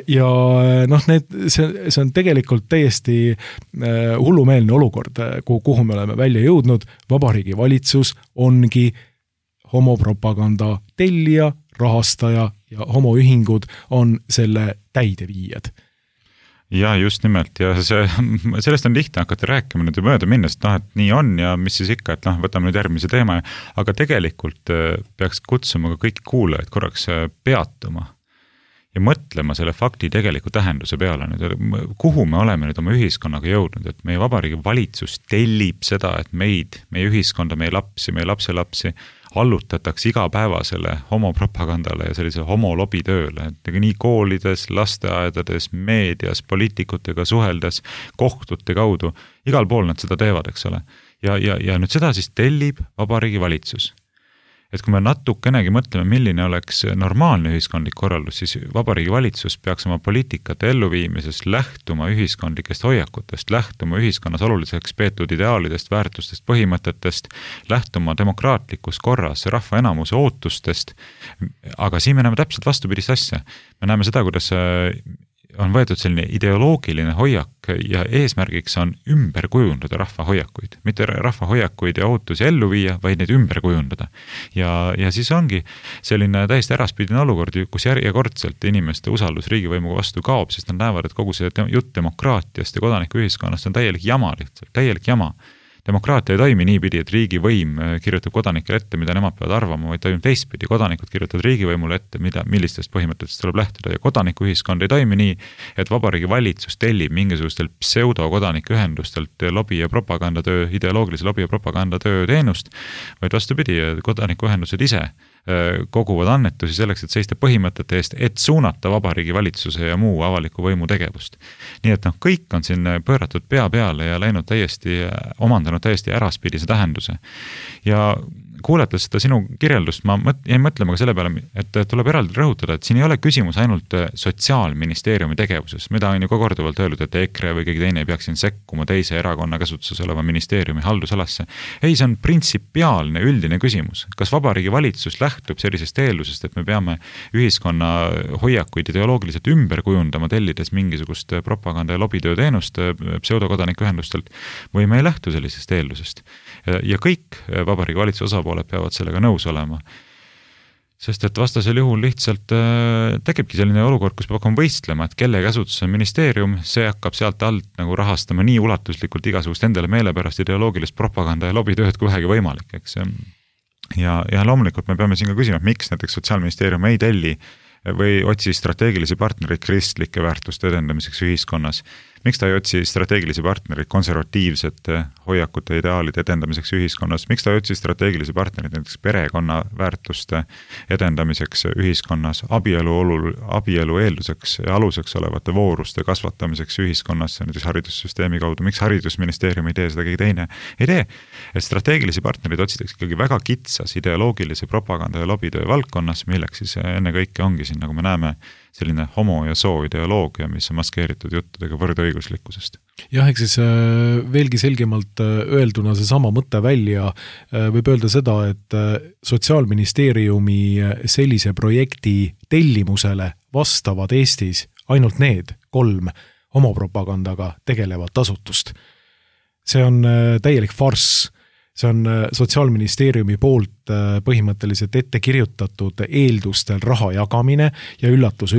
Ja see on tegelikult täiesti hullumeelne olukord, kuhu me oleme välja jõudnud. Vabariigi valitsus ongi homopropaganda tellija, rahastaja ja homoühingud on selle täideviijad. Ja just nimelt ja sellest on lihtne hakata rääkima nüüd mööda minnes, et nii on ja mis siis ikka, et võtame nüüd järgmise teema, aga tegelikult peaks kutsuma ka kõik kuulajaid korraks peatuma ja mõtlema selle fakti tegeliku tähenduse peale nüüd, kuhu me oleme nüüd oma ühiskonnaga jõudnud, et meie vabariigi valitsus tellib seda, et meie ühiskonda, meie lapsi, meie lapselapsi allutatakse igapäevasele homopropagandale ja sellise homolobitööle, et nii koolides, lasteaedades, meedias, poliitikutega suheldes, kohtute kaudu, igal pool nad seda teevad, eks ole. Ja nüüd seda siis tellib vabariigi valitsus. Et kui me natukenegi mõtleme, milline oleks normaalne ühiskondlik korraldus, siis vabariigi valitsus peaks oma poliitikate elluviimises lähtuma ühiskondlikest hoiakutest, lähtuma ühiskonnas oluliseks peetud ideaalidest, väärtustest, põhimõtetest, lähtuma demokraatlikus korras rahva enamuse ootustest, aga siin me näeme täpselt vastupidist asja. Me näeme seda, kuidas on võetud selline ideoloogiline hoiak ja eesmärgiks on ümber kujundada rahva hoiakuid. Mitte rahva hoiakuid ja ootusi ellu viia, vaid neid ümber kujundada. Ja siis ongi selline täiesti äraspidine olukord, kus järjekordselt inimeste usaldus riigivõimuga vastu kaob, sest nad näevad, et kogu see jutt demokraatiast ja kodanikuühiskonnast on täielik jama lihtsalt, täielik jama. Demokraatia ei toimi niipidi, et riigivõim kirjutab kodanikele ette, mida nemad peavad arvama, vaid toimub teistpidi. Kodanikud kirjutavad riigivõimule ette, millistest põhimõtetest tuleb lähtuda ja kodanikuühiskond ei toimi nii, et vabariigi valitsus tellib mingisugustel pseudo-kodanikuühendustelt lobi- ja propagandatöö, ideoloogilise lobi- ja propagandatöö teenust, vaid vastupidi, kodanikuühendused ise koguvad annetusi selleks, et seista põhimõtete eest, et suunata vabariigi valitsuse ja muu avaliku võimu tegevust. Nii et kõik on siin pööratud pea peale ja läinud omandanud täiesti äraspidise tähenduse. Ja kuulates seda sinu kirjeldust, ma jäin mõtlema ka selle peale, et tuleb eraldi rõhutada, et siin ei ole küsimus ainult sotsiaalministeeriumi tegevuses, mida on ju ka korduvalt öeldud, et EKRE või keegi teine ei peaks siin sekkuma teise erakonna käsutuses oleva ministeeriumi haldusalasse. Ei, see on printsipiaalne üldine küsimus. Kas vabariigi valitsus lähtub sellisest eeldusest, et me peame ühiskonna hoiakuid ideoloogiliselt ümber kujundama, tellides mingisugust propaganda ja lobitöö teenust pseudokodanikuühendustelt või me ei lähtu sellisest eeldusest? Ja kõik vabariigi valitsuse osapooled peavad sellega nõus olema. Sest et vastasel juhul lihtsalt tekibki selline olukord, kus peab hakkama võistlema, et kelle käsutus on ministeerium, see hakkab sealt alt nagu rahastama nii ulatuslikult igasugust endale meelepärast ideoloogilist propaganda ja lobitööd kui vähegi võimalik, eks. Ja loomulikult me peame siin ka küsima, et miks näiteks Sotsiaalministeerium ei telli või otsi strateegilisi partnerid kristlike väärtuste edendamiseks ühiskonnas. Miks ta ei otsi strateegilisi partnerid konservatiivsete hoiakute ideaalide edendamiseks ühiskonnas? Miks ta ei otsi strateegilisi partnerid näiteks perekonna väärtuste edendamiseks ühiskonnas, abielu eelduseks ja aluseks olevate vooruste kasvatamiseks ühiskonnas, näiteks haridussüsteemi kaudu? Miks haridusministeerium ei tee seda, keegi teine ei tee? Et strateegilisi partnerid otsitakse ikkagi väga kitsas ideoloogilise propaganda ja lobitöö valdkonnas, milleks siis enne kõike ongi siin, nagu me näeme, selline homo- ja soo-ideoloogia, mis on maskeeritud juttudega võrdõiguslikkusest. Jah, eks siis veelgi selgemalt öelduna see sama mõte välja võib öelda seda, et Sotsiaalministeeriumi sellise projekti tellimusele vastavad Eestis ainult need 3 homopropagandaga tegelevat asutust. See on täielik farss. See on Sotsiaalministeeriumi poolt põhimõtteliselt ette kirjutatud eeldustel raha jagamine ja üllatus,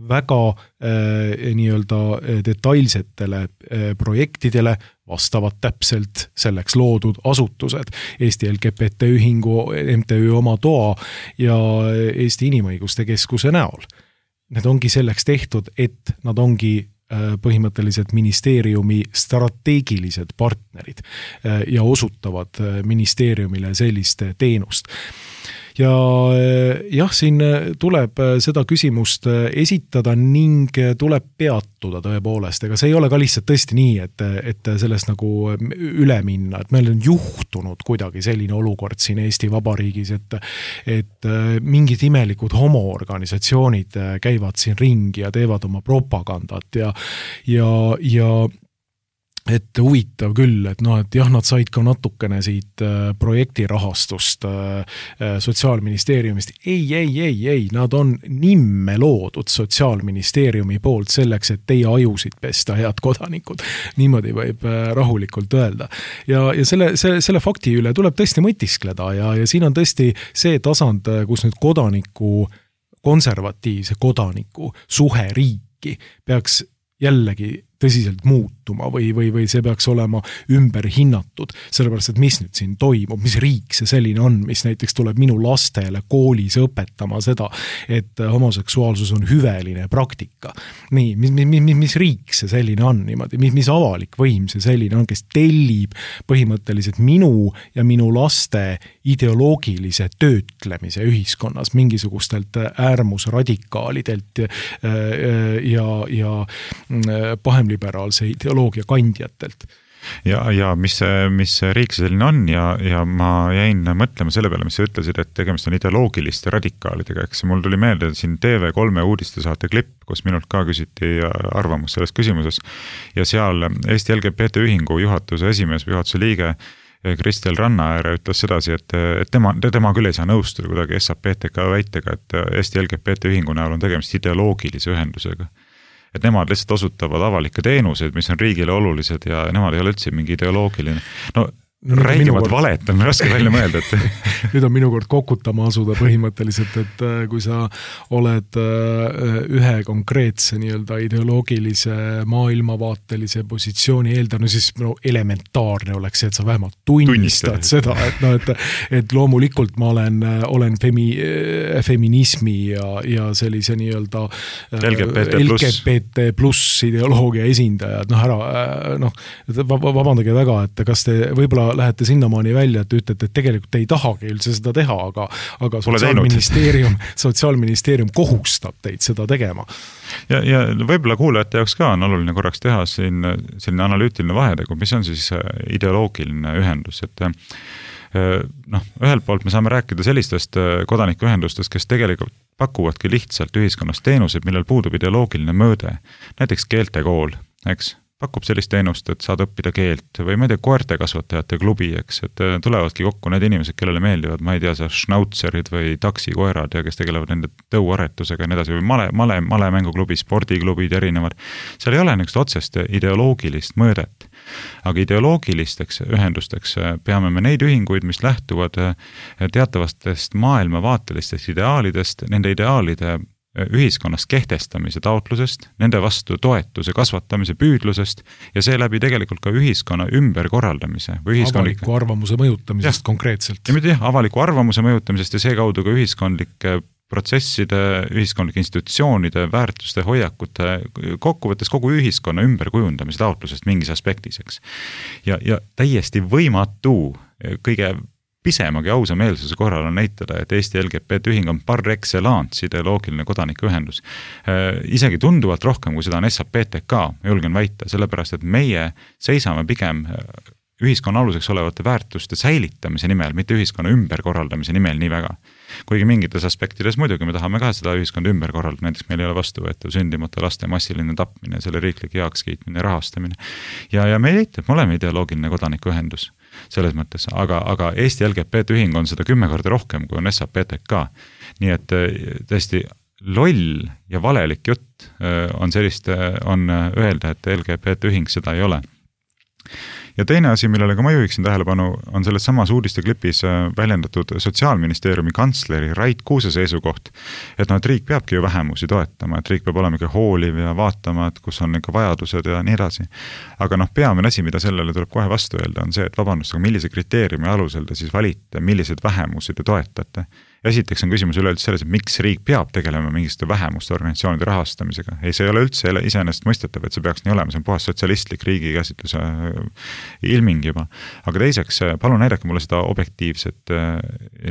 väga nii-öelda detailsetele projektidele vastavad täpselt selleks loodud asutused. Eesti LGBT ühingu, MTÜ oma toa ja Eesti Inimõiguste Keskuse näol. Need ongi selleks tehtud, et nad ongi põhimõtteliselt ministeeriumi strateegilised partnerid ja osutavad ministeeriumile sellist teenust. Ja jah, siin tuleb seda küsimust esitada ning tuleb peatuda tõepoolest, ega see ei ole ka lihtsalt tõesti nii, et sellest nagu üle minna, et meil on juhtunud kuidagi selline olukord siin Eesti Vabariigis, et mingid imelikud homoorganisatsioonid käivad siin ringi ja teevad oma propagandat ja et huvitav küll, et et jah, nad said ka natukene siit projektirahastust Sotsiaalministeeriumist. Ei, nad on nimme loodud Sotsiaalministeeriumi poolt selleks, et teie ajusid pesta, head kodanikud. Niimoodi võib rahulikult öelda. Ja selle fakti üle tuleb tõesti mõtiskleda ja siin on tõesti see tasand, kus nüüd konservatiivse kodaniku suhe riiki peaks jällegi tõsiselt muutuma või see peaks olema ümber hinnatud, sellepärast, et mis nüüd siin toimub, mis riik see selline on, mis näiteks tuleb minu lastele koolis õpetama seda, et homoseksuaalsus on hüveline praktika. Nii, mis riik see selline on niimoodi, mis avalik võim see selline on, kes tellib põhimõtteliselt minu ja minu laste ideoloogilise töötlemise ühiskonnas mingisugustelt äärmusradikaalidelt ja pahem-liberaalse ideoloogia kandjatelt. Ja mis riik see selline on ja ma jäin mõtlema selle peale, mis sa ütlesid, et tegemist on ideoloogiliste radikaalidega, eks mul tuli meelde siin TV3 uudistesaate klipp, kus minult ka küsiti arvamus selles küsimuses ja seal Eesti LGBT ühingu juhatuse esimees või juhatuse liige Kristel Rannaääre ütles sedasi, et tema küll ei saa nõustuda kuidagi SAPTK väitega, et Eesti LGBT ühingu näol on tegemist ideoloogilise ühendusega. Et nemad lihtsalt osutavad avalikke teenuseid, mis on riigile olulised ja nemad ei ole üldse mingi ideoloogiline. Räägivad valet, on raske välja mõelda, et nüüd on minu kord kokutama asuda põhimõtteliselt, et kui sa oled ühe konkreetse nii-öelda ideoloogilise maailmavaatelise positsiooni eeldanud, siis elementaarne oleks see, et sa vähemalt tunnistad seda, et loomulikult ma olen feminismi ja sellise nii-öelda LGBT pluss ideoloogia esindajad, vabandage väga, et kas te võib-olla lähete sinnamaani välja, et ütlete, et tegelikult ei tahagi üldse seda teha, aga Sotsiaalministeerium kohustab teid seda tegema. Ja võib-olla kuulajate jaoks ka on oluline korraks teha siin selline analüütiline vahetegu, mis on siis ideoloogiline ühendus, et ühelt poolt me saame rääkida sellistest kodanikuühendustest, kes tegelikult pakuvadki lihtsalt ühiskonnas teenused, millel puudub ideoloogiline mõõde, näiteks keeltekool, eks? Pakub sellist teenust, et saad õppida keelt või ma ei tea, koerte kasvatajate klubi, eks, et tulevadki kokku need inimesed, kellele meeldivad, ma ei tea, schnautserid või taksikoerad ja kes tegelevad nende tõuaretusega ja nii edasi või male mänguklubi, spordiklubid erinevad. Seal ei ole niisugust otsest ideoloogilist mõõdet, aga ideoloogilisteks ühendusteks peame me neid ühinguid, mis lähtuvad teatavastest maailmavaatelistest ideaalidest, nende ideaalide ühiskonnas kehtestamise taotlusest, nende vastu toetuse kasvatamise püüdlusest ja seeläbi tegelikult ka ühiskonna ümberkorraldamise. Avaliku arvamuse mõjutamisest konkreetselt. Ja mitte avaliku arvamuse mõjutamisest ja seekaudu ka ühiskondlike protsesside, ühiskondlike institutsioonide, väärtuste, hoiakute, kokkuvõttes kogu ühiskonna ümberkujundamise taotlusest mingis aspektiseks. Ja täiesti võimatu kõige pisemagi ausa meelsuse korral on näitada, et Eesti LGBT ühing on par excellence ideoloogiline kodanikuühendus. Isegi tunduvalt rohkem, kui seda on SAPTK, julgen väita, sellepärast, et meie seisame pigem ühiskonna aluseks olevate väärtuste säilitamise nimel, mitte ühiskonna ümberkorraldamise nimel nii väga. Kuigi mingites aspektides muidugi me tahame ka seda ühiskonda ümber korraldada, näiteks meil ei ole vastuvõetav sündimata laste massiline tapmine, selle riiklik heakskiitmine, rahastamine. Ja me ei leita, et me oleme ideoloogiline kodanikuühendus selles mõttes, aga Eesti LGBT ühing on seda 10 korda rohkem, kui on SAPTK. Nii et tõesti loll ja valelik jutt on öelda, et LGBT ühing seda ei ole. Ja teine asi, millele ka ma juhiksin tähelepanu, on selles samas uudisteklipis väljendatud Sotsiaalministeeriumi kantsleri Rait Kuuse seisukoht, et riik peabki ju vähemusi toetama, et riik peab olema ikka hooliv ja vaatama, et kus on ikka vajadused ja nii edasi. Aga peamine asi, mida sellele tuleb kohe vastu öelda, on see, et vabandust, aga millise kriteeriumi alusel te siis valite, millised vähemusi te toetate. Esiteks on küsimus üleüldse selles, et miks riik peab tegelema mingiste vähemuste organisatsioonide rahastamisega. Ei, see ei ole üldse iseenesest mõistetav, et see peaks nii olema, see on puhas sotsialistlik riigi käsitluse ilming juba. Aga teiseks, palun näidake mulle seda objektiivset,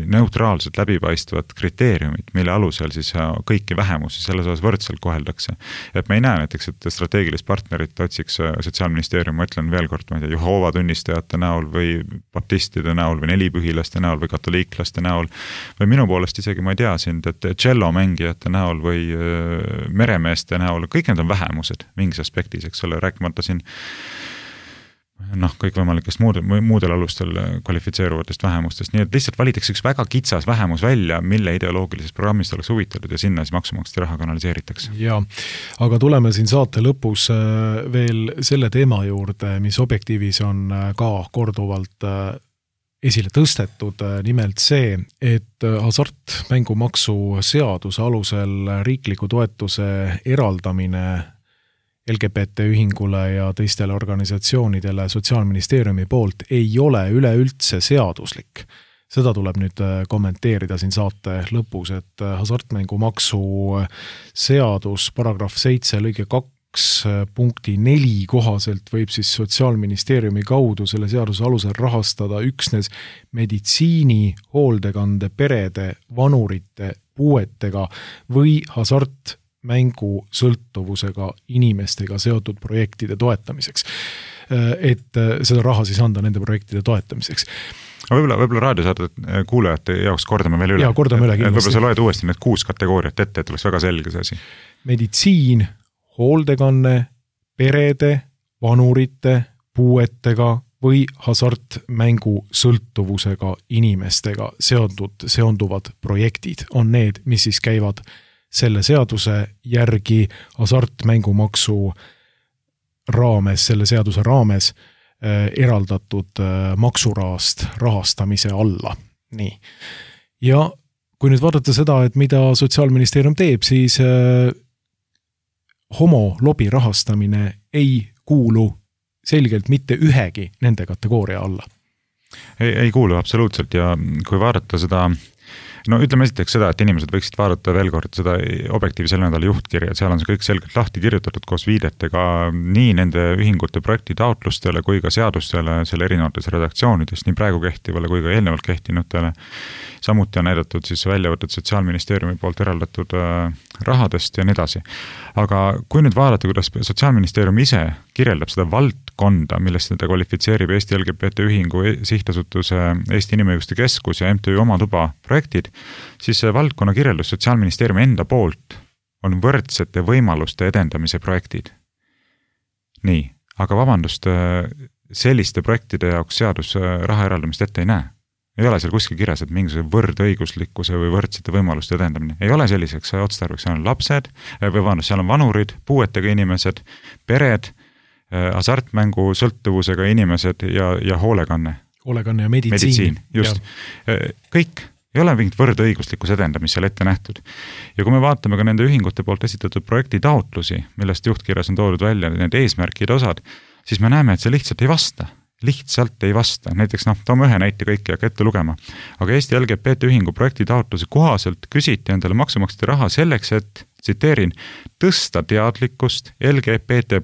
neutraalset, läbipaistvat kriteeriumit, mille alusel siis kõiki vähemusi selles osas võrdselt koheldakse. Et me ei näe näiteks, et strateegilist partnerit otsiks Sotsiaalministeerium, ma ütlen veel kord, ma ei tea, Jehoova tunnistajate näol või baptistide näol või nelipühilaste näol või katoliiklaste näol või minu poolest isegi ma ei tea sind, et cello mängijate näol või meremeeste näol, kõik need on vähemused mingis aspektis, eks ole, rääkimata siin kõikvõimalikest muudel alustel kvalifitseeruvatest vähemustest, nii et lihtsalt valitakse üks väga kitsas vähemus välja, mille ideoloogilisest programmist oleks huvitatud ja sinna siis maksumaksjate raha kanaliseeritakse. Jaa, aga tuleme siin saate lõpus veel selle teema juurde, mis Objektiivis on ka korduvalt esile tõstetud, nimelt see, et hasartmängumaksu seaduse alusel riikliku toetuse eraldamine LGBT ühingule ja teistele organisatsioonidele Sotsiaalministeeriumi poolt ei ole üleüldse seaduslik. Seda tuleb nüüd kommenteerida siin saate lõpus, et hasartmängumaksu seadus paragrahv 7 lõige 2 punkti 4 kohaselt võib siis Sotsiaalministeeriumi kaudu selle seaduse alusel rahastada üksnes meditsiini, hooldekande, perede, vanurite, puuetega või hasartmängu sõltuvusega inimestega seotud projektide toetamiseks. Et seda raha siis anda nende projektide toetamiseks. Võib-olla raadiosaadet kuulajate jaoks kordame veel üle. Jaa, kordame üle kindlasti. Võib-olla sa loed uuesti need 6 kategooriat ette, et oleks väga selge see asi. Meditsiin, hooldekanne, perede, vanurite, puuetega või hasartmängu sõltuvusega inimestega seonduvad projektid on need, mis siis käivad selle seaduse järgi hasartmängumaksu raames, selle seaduse raames eraldatud maksurahast rahastamise alla. Nii. Ja kui nüüd vaadata seda, et mida Sotsiaalministeerium teeb, siis homolobi rahastamine ei kuulu selgelt mitte ühegi nende kategooria alla. Ei kuulu absoluutselt ja kui vaadata seda, ütleme esiteks seda, et inimesed võiksid vaadata veel kord seda Objektiivi selle nädala juhtkirja, et seal on see kõik selgelt lahti kirjutatud koos viidetega nii nende ühingute projekti taotlustele kui ka seadustele selle erinevates redaktsioonides, nii praegu kehtivale kui ka eelnevalt kehtinutele. Samuti on näidatud siis väljavõtted Sotsiaalministeeriumi poolt eraldatud rahadest ja nii edasi. Aga kui nüüd vaadata, kuidas Sotsiaalministeerium ise kirjeldab seda valdkonda, millest ta kvalifitseerib Eesti LGBT ühingu sihtasutuse Eesti Inimõiguste Keskus ja MTÜ Oma Tuba projektid, siis see valdkonna kirjeldus Sotsiaalministeeriumi enda poolt on võrdsete võimaluste edendamise projektid. Nii, aga vabandust, selliste projektide jaoks seadus raha eraldamist ette ei näe. Ei ole seal kuskil kirjas, et mingisuguse võrdõiguslikkuse või võrdsete võimaluste edendamine. Ei ole selliseks otstarbeks, seal on lapsed, seal on vanurid, puuetega inimesed, pered, hasartmängu sõltuvusega inimesed ja hoolekanne. Hoolekanne ja meditsiin. Just. Ja. Kõik ei ole mingit võrdõiguslikkuse edendamist seal ette nähtud. Ja kui me vaatame ka nende ühingute poolt esitatud projekti taotlusi, millest juhtkirjas on toodud välja need eesmärkide osad, siis me näeme, et see lihtsalt ei vasta. Lihtsalt ei vasta. Näiteks, toome ühe näite kõiki aga ette lugema. Aga Eesti LGBT ühingu projekti taotluse kohaselt küsiti endale maksumaksjate raha selleks, et, tsiteerin, tõsta teadlikkust LGBT+,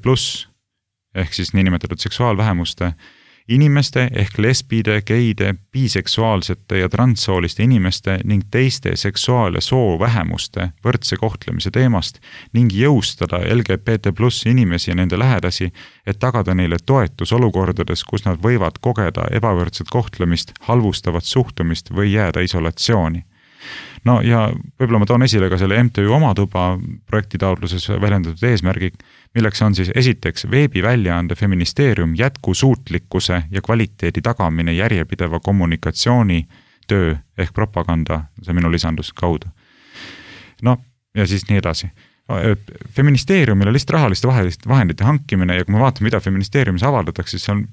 ehk siis niinimetatud seksuaalvähemuste inimeste ehk lesbide, geide, biseksuaalsete ja transsooliste inimeste ning teiste seksuaal- ja soovähemuste võrdse kohtlemise teemast ning jõustada LGBT+ inimesi ja nende lähedasi, et tagada neile toetus olukordades, kus nad võivad kogeda ebavõrdset kohtlemist, halvustavat suhtumist või jääda isolatsiooni. Ja võib-olla ma toon esile ka selle MTÜ Oma Tuba projekti taotluses väljendatud eesmärgi, milleks on siis esiteks veebiväljaande Feministeerium jätkusuutlikkuse ja kvaliteedi tagamine järjepideva kommunikatsiooni töö ehk propaganda, see minu lisandus kaudu. Ja siis nii edasi. Feministeeriumile lihtsalt rahaliste vahendite hankimine ja kui me vaatame, mida Feministeeriumis avaldatakse, siis on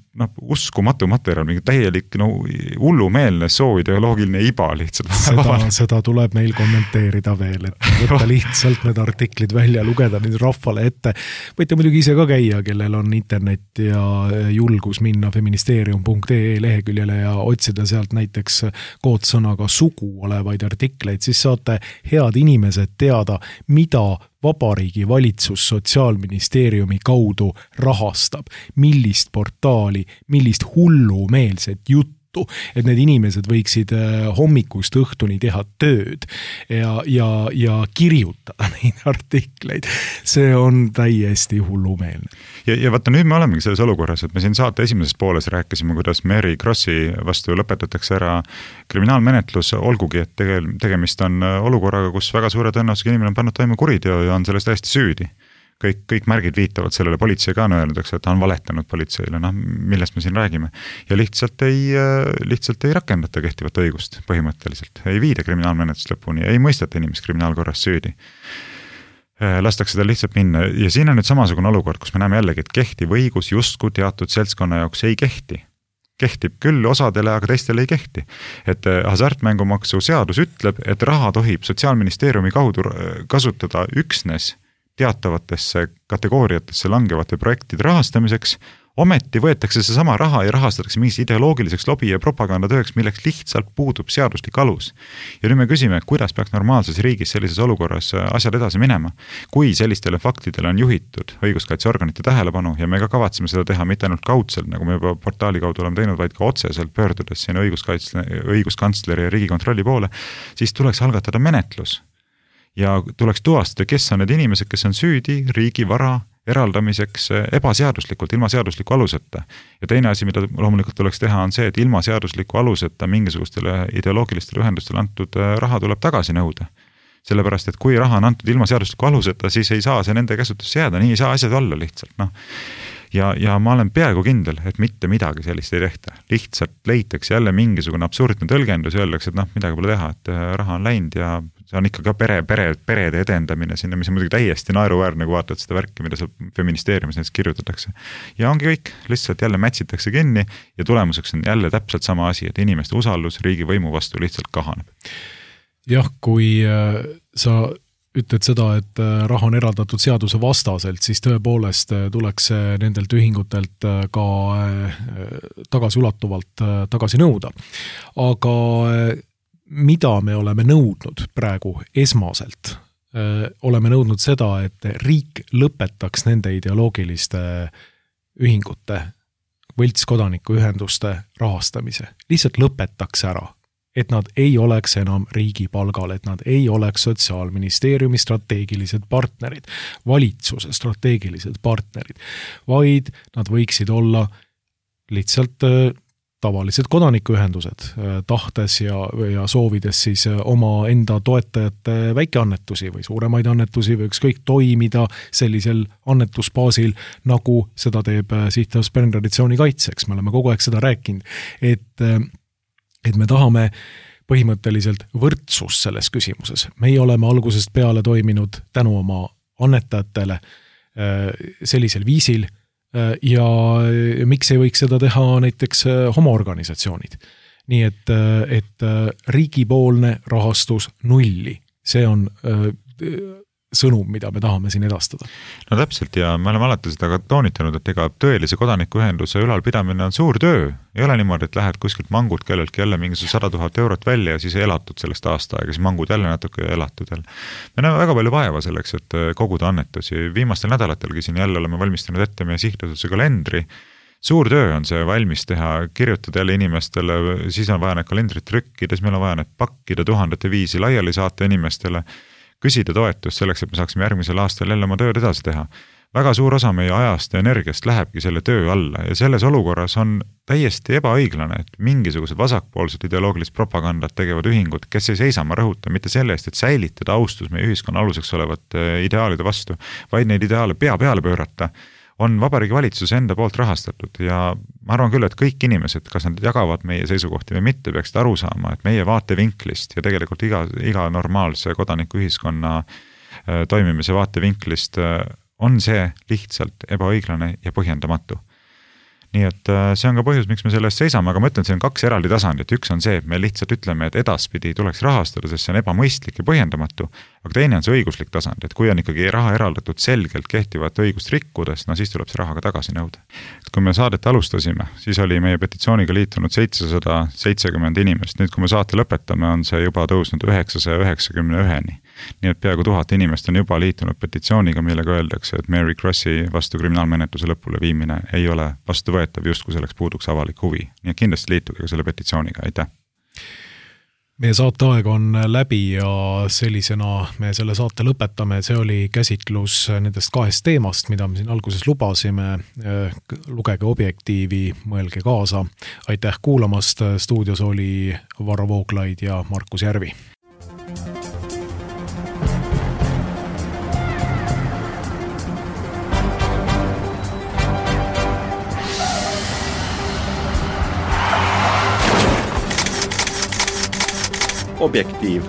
uskumatu materjal, mingi täielik hullumeelne sooideoloogiline iba lihtsalt. Seda tuleb meil kommenteerida veel, et võtta lihtsalt need artiklid välja, lugeda nüüd rahvale ette. Võite muidugi ise ka käia, kellel on internet ja julgus minna feministeerium.ee leheküljele ja otsida sealt näiteks koodsõnaga sugu olevaid artikleid, siis saate head inimesed teada, mida Vabariigi valitsus Sotsiaalministeeriumi kaudu rahastab, millist portaali, millist hullumeelset juttu, et need inimesed võiksid hommikust õhtuni teha tööd ja kirjutada neid artikleid. See on täiesti hullumeelne. Ja vaata, nüüd me olemegi selles olukorras, et me siin saate esimeses pooles rääkisime, kuidas Mary Krossi vastu lõpetatakse ära kriminaalmenetlus, olgugi, et tegemist on olukorraga, kus väga suure tõenäosusega inimene on pannud toime kuriteo ja on sellest täiesti süüdi. kõik märgid viitavad sellele, politsei ka on öelnud, eks, et ta on valetanud politseile, millest me siin räägime. Ja lihtsalt ei rakendata kehtivat õigust põhimõtteliselt, ei viida kriminaalmenetlust lõpuni, ei mõisteta inimest kriminaalkorras süüdi. Lastakse tal lihtsalt minna ja siin on nüüd samasugune olukord, kus me näeme jällegi, et kehtiv õigus justkui teatud seltskonna jaoks ei kehti. Kehtib küll osadele, aga teistele ei kehti. Et hasartmängumaksu seadus ütleb, et raha tohib Sotsiaalministeeriumi kaudu kasutada üksnes teatavatesse kategooriatesse langevate projektide rahastamiseks, ometi võetakse see sama raha ja rahastatakse mingis ideoloogiliseks lobi ja propagandatööks, milleks lihtsalt puudub seaduslik alus. Ja nüüd me küsime, kuidas peaks normaalses riigis sellises olukorras asjad edasi minema, kui sellistele faktidele on juhitud õiguskaitseorganite tähelepanu ja me ka kavatseme seda teha mitte ainult kaudselt, nagu me juba portaali kaudu oleme teinud, vaid ka otseselt pöördudes sinna õiguskantsleri ja Riigikontrolli poole, siis tuleks algatada menetlus. Ja tuleks tuvastada, kes on need inimesed, kes on süüdi riigi vara eraldamiseks ebaseaduslikult, ilma seadusliku aluseta. Ja teine asi, mida loomulikult tuleks teha, on see, et ilma seadusliku aluseta mingisugustele ideoloogilistele ühendustele antud raha tuleb tagasi nõuda. Sellepärast, et kui raha on antud ilma seadusliku aluseta, siis ei saa see nende käsutusse jääda, nii ei saa asjad olla lihtsalt. Ja ma olen peaaegu kindel, et mitte midagi sellist ei tehta. Lihtsalt leitakse jälle mingisugune absurdne tõlgendus ja öeldakse, et midagi pole teha, et raha on läinud ja see on ikka ka perede edendamine sinna, mis on muidugi täiesti naeruväärne, kui vaatad seda värki, mida seal feministeeriumis näiteks kirjutatakse. Ja ongi kõik, lihtsalt jälle mätsitakse kinni ja tulemuseks on jälle täpselt sama asi, et inimeste usaldus riigi võimu vastu lihtsalt kahaneb. Jah, kui sa ütled seda, et raha on eraldatud seaduse vastaselt, siis tõepoolest tuleks nendelt ühingutelt ka tagasiulatuvalt tagasi nõuda. Aga mida me oleme nõudnud praegu esmaselt? Oleme nõudnud seda, et riik lõpetaks nende ideoloogiliste ühingute, võltskodanikuühenduste rahastamise. Lihtsalt lõpetaks ära. Et nad ei oleks enam riigi palgal, et nad ei oleks Sotsiaalministeeriumi strateegilised partnerid, valitsuse strateegilised partnerid, vaid nad võiksid olla lihtsalt tavalised kodanikuühendused, tahtes ja soovides siis oma enda toetajate väikeannetusi või suuremaid annetusi või ükskõik toimida sellisel annetusbaasil, nagu seda teeb Sihtas Pärntraditsiooni kaitseks. Me oleme kogu aeg seda rääkinud, et me tahame põhimõtteliselt võrdsust selles küsimuses. Meie oleme algusest peale toiminud tänu oma annetajatele sellisel viisil ja miks ei võiks seda teha näiteks homoorganisatsioonid. Nii et riigipoolne rahastus nulli. See on sõnum, mida me tahame siin edastada. No täpselt ja me oleme alati seda ka toonitanud, et ega tõelise kodanikuühenduse ülalpidamine on suur töö. Ei ole niimoodi, et lähed kuskilt mangud kelleltki jälle mingisuguse 100 000 eurot välja ja siis elatud sellest aasta aega, siis mangud jälle natuke elatud jälle. Me näeme väga palju vaeva selleks, et koguda annetusi. Viimastel nädalatelgi siin jälle oleme valmistanud ette meie sihtasutuse kalendri. Suur töö on see valmis teha, kirjutada jälle inimestele, siis on vaja need kalendrit trükkides, meil on vaja need pakkida 1000 viisi laiali saata inimestele, küsida toetust selleks, et me saaksime järgmisel aastal jälle oma tööd edasi teha. Väga suur osa meie ajast ja energiast lähebki selle töö alla ja selles olukorras on täiesti ebaõiglane, et mingisugused vasakpoolsed ideoloogilist propagandat tegevad ühingud, kes ei seisa, ma rõhutan, mitte selle eest, et säilitada austus meie ühiskonna aluseks olevate ideaalide vastu, vaid neid ideaale pea peale pöörata, on Vabariigi Valitsuse enda poolt rahastatud ja ma arvan küll, et kõik inimesed, kas nad jagavad meie seisukohti või mitte, peaksid aru saama, et meie vaatevinklist ja tegelikult iga normaalse kodanikuühiskonna toimimise vaatevinklist on see lihtsalt ebaõiglane ja põhjendamatu. Nii et see on ka põhjus, miks me sellest seisame, aga ma ütlen, see on 2 eraldi tasandit. Üks on see, et me lihtsalt ütleme, et edaspidi tuleks rahastada, sest see on ebamõistlik ja põhjendamatu, aga teine on see õiguslik tasand, et kui on ikkagi raha eraldatud selgelt kehtivat õigust rikkudes, no siis tuleb see raha ka tagasi nõuda. Et kui me saadet alustasime, siis oli meie petitsiooniga liitunud 770 inimest, nüüd kui me saate lõpetame, on see juba tõusnud 991-ni. Nii et peaaegu 1000 inimest on juba liitunud petitsiooniga, millega öeldakse, et Mary Krossi vastu kriminaalmenetluse lõpule viimine ei ole vastuvõetav, just kui selleks puuduks avalik huvi. Nii et kindlasti liituge selle petitsiooniga, aitäh! Meie saateaeg on läbi ja sellisena me selle saate lõpetame. See oli käsitlus nendest 2 teemast, mida me siin alguses lubasime. Lugege Objektiivi, mõelge kaasa. Aitäh kuulamast! Stuudios oli Varro Vooglaid ja Markus Järvi. Objektiiv